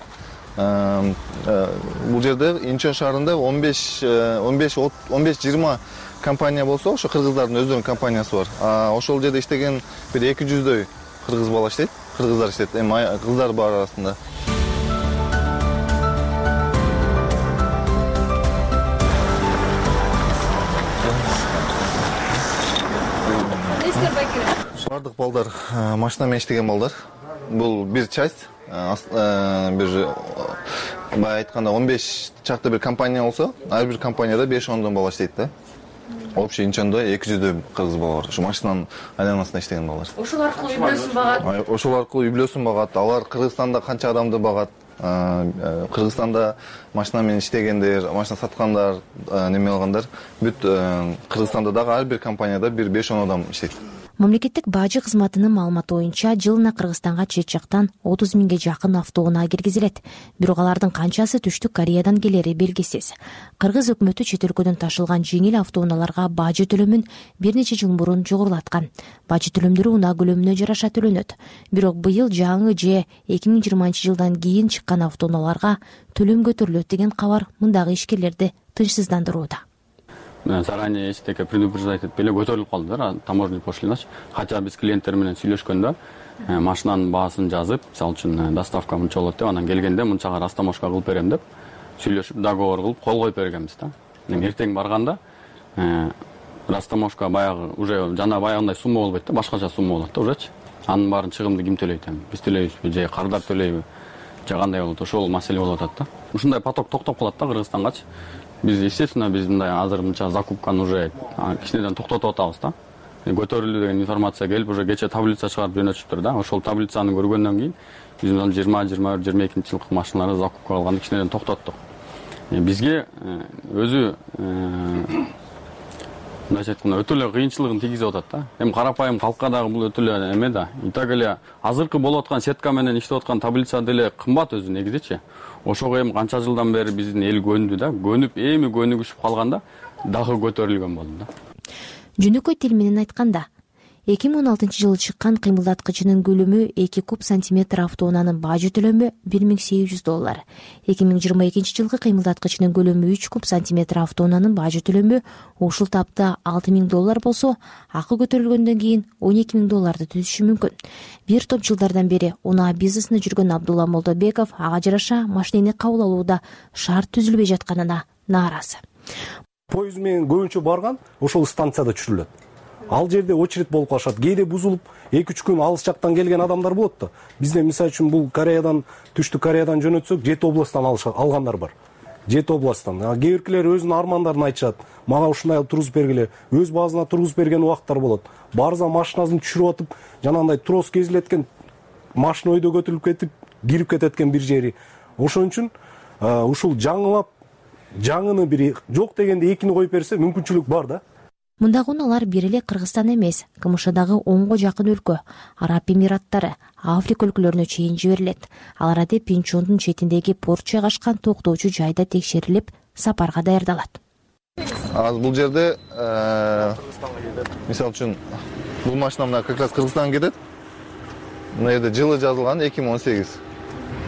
Speaker 11: Бул жерде Инчон шаарында 15-20 компания болсо, ошо кыргыздардын өздөрүнүн компаниясы бар. Ошол жерде иштеген бир 200дөй кыргыз бала иштейт, кыргыздар иштейт. Кыздар бар арасында. Бардык балдар машина менен иштеген балдар. Бул бир часть, бир бай айтканда 15 чакты бир компания болсо, ар бир компанияда 5-10 бала иштейт да. Общий Инчондо 200 кыргыз бала бар. Ушу машинанын айланасында иштеген балдар.
Speaker 7: Ошол аркылуу үй бүлөсүн багат.
Speaker 11: Ошол аркылуу үй бүлөсүн багат. Алар Кыргызстанда канча адамды багат. Кыргызстанда машина менен иштегендер, машина саткандар, неме алгандар бүт Кыргызстанда дагы ар бир компанияда бир 5-10 адам иштейт.
Speaker 7: Мамлекеттик бажы кызматынын маалыматы боюнча жылына Кыргызстанга чет жактан 30 миңге жакын автоунаа киргизилет. Бирок алардын канчасы Түштүк Кореядан келери белгисиз. Кыргыз өкмөтү чет өлкөдөн ташылган жеңил автоунааларга бажы төлөмүн бир нече жыл мурун жогорулаткан. Бажы төлөмдөрү унаа көлөмүнө жараша төлөнөт. Бирок быйыл жаңы же 2020-жылдан кийин чыккан автоунааларга төлөм көтөрүлөт деген кабар мындагы ишкерлерди тынчсыздандырууда.
Speaker 13: Заранее эчтеке предупреждать этип эле көтөрүлүп калды да, таможенный пошлиначы. Хотя биз клиенттер менен сүйлөшкөндө машинанын баасын жазып, мисалы үчүн доставка мынча болот деп, анан келгенде мынчага растаможка кылып берем деп сүйлөшүп, договор кылып кол коюп бергенбиз да. Эртең барганда растаможка баягы уже жана баягындай сумма болбойт да, башкача сумма болот да ужечи. Анын баарын чыгымды ким төлөйт эми? Биз төлөйбүзбү же кардар төлөйбү? Же кандай болот? Ошол маселе болуп атат да. Ушундай поток токтоп калат да Кыргызстангачы. Биз естественно биз мындай азыр мынча закупканы уже кичинеден токтотуп атабыз да. Көтөрүлдү деген информация келип, уже кече таблица чыгарып жөнөтүптүр да. Ошол таблицаны көргөндөн кийин биз 20-22-22 машиналарды закупка кылганды кичинеден токтоттук. Бизге өзү мындайча айтканда өтө эле кыйынчылыгын тийгизип атат да. Эми карапайым калкка дагы бул өтө эле эме да. И так эле азыркы болуп аткан сетка менен иштеп аткан таблица деле кымбат өзү негизичи. Ошого эми канча жылдан бери биздин эл көндү да. Көнүп эми көнүгүшүп калганда дагы көтөрүлгөн болду да.
Speaker 7: Жөнөкөй тил менен айтканда 2016-жылы чыккан кыймылдаткычынын көлөмү 2 куб сантиметр автоунаанын бажы төлөмү $1800. 2022-жылкы кыймылдаткычынын көлөмү 3 куб сантиметр автоунаанын бажы төлөмү ушул тапта $6000 болсо, акы көтөрүлгөндөн кийин $12000 түзүшү мүмкүн. Бир топ жылдардан бери унаа бизнесинде жүргөн Абдулла Молдобеков ага жараша машинени кабыл алууда шарт түзүлбөй жатканына нааразы.
Speaker 14: Поезд менен көбүнчө барган ошол станцияда түшүрүлөт. Ал жерде очередь болуп калышат. Кээде бузулуп 2-3 күн алыс жактан келген адамдар болот да. Бизде мисалы үчүн бул Кореядан, Түштүк Кореядан жөнөтсөк, 7 областтан алгандар бар. 7 областтан. Кээ биркилер өзүнүн армандарын айтышат. Мага ушундай тургузуп бергиле. Өз базына тургузуп берген убактар болот. Барза машинасын түшүрүп атып, жанагындай трос кезилеткен машина өйдө көтөрүлүп кетип, кирип кететкен бир жери. Ошон үчүн ушул жаңылап жаңыны бири жок дегенде экини коюп берсе мүмкүнчүлүк бар да.
Speaker 7: Мындагы унаалар бир эле Кыргызстан эмес, КМШдагы 10го жакын өлкө, Араб Эмираттары, Африка өлкөлөрүнө чейин жиберилет. Алар адеп Инчондун четиндеги порт жайгашкан токтоочу жайда текшерилип, сапарга даярдалат.
Speaker 11: Бул жерде мисалы үчүн бул машина мына как раз Кыргызстанга кетет. Мына жерде жылы жазылган 2018.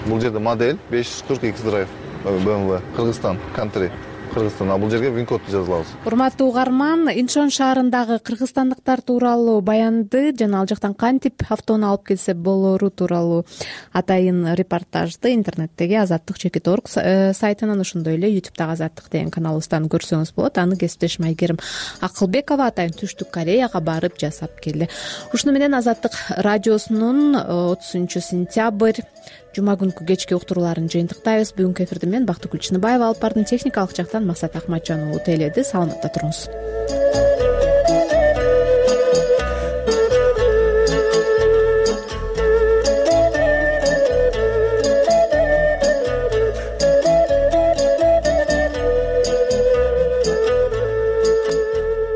Speaker 11: бул жерде модель 540X Drive BMW Кыргызстан Country Кыргызстан. Бул жерге вин-кодду жазылабыз.
Speaker 1: Урматтуу угарман, Инчон шаарындагы кыргызстандыктар тууралуу баянды жана ал жактан кантип автону алып келсе болору тууралуу атайын репортажды интернеттеги Азаттык.org сайтынан, ошондой эле YouTube'дагы Азаттык деген каналыбыздан көрсөңүз болот. Аны кесиптешим Айгерим Акылбекова атайын Түштүк Кореяга барып жасап келди. Ушуну менен Азаттык радиосунун 30 сентябрь жума күнкү кечки уктурууларын жыйынтыктайбыз. Бүгүнкү эфирди мен Бактыгүл Чыныбаева алып бардым. Техникалык жактан Максат Ахматжан уулу тейледи. Саламатта туруңуз.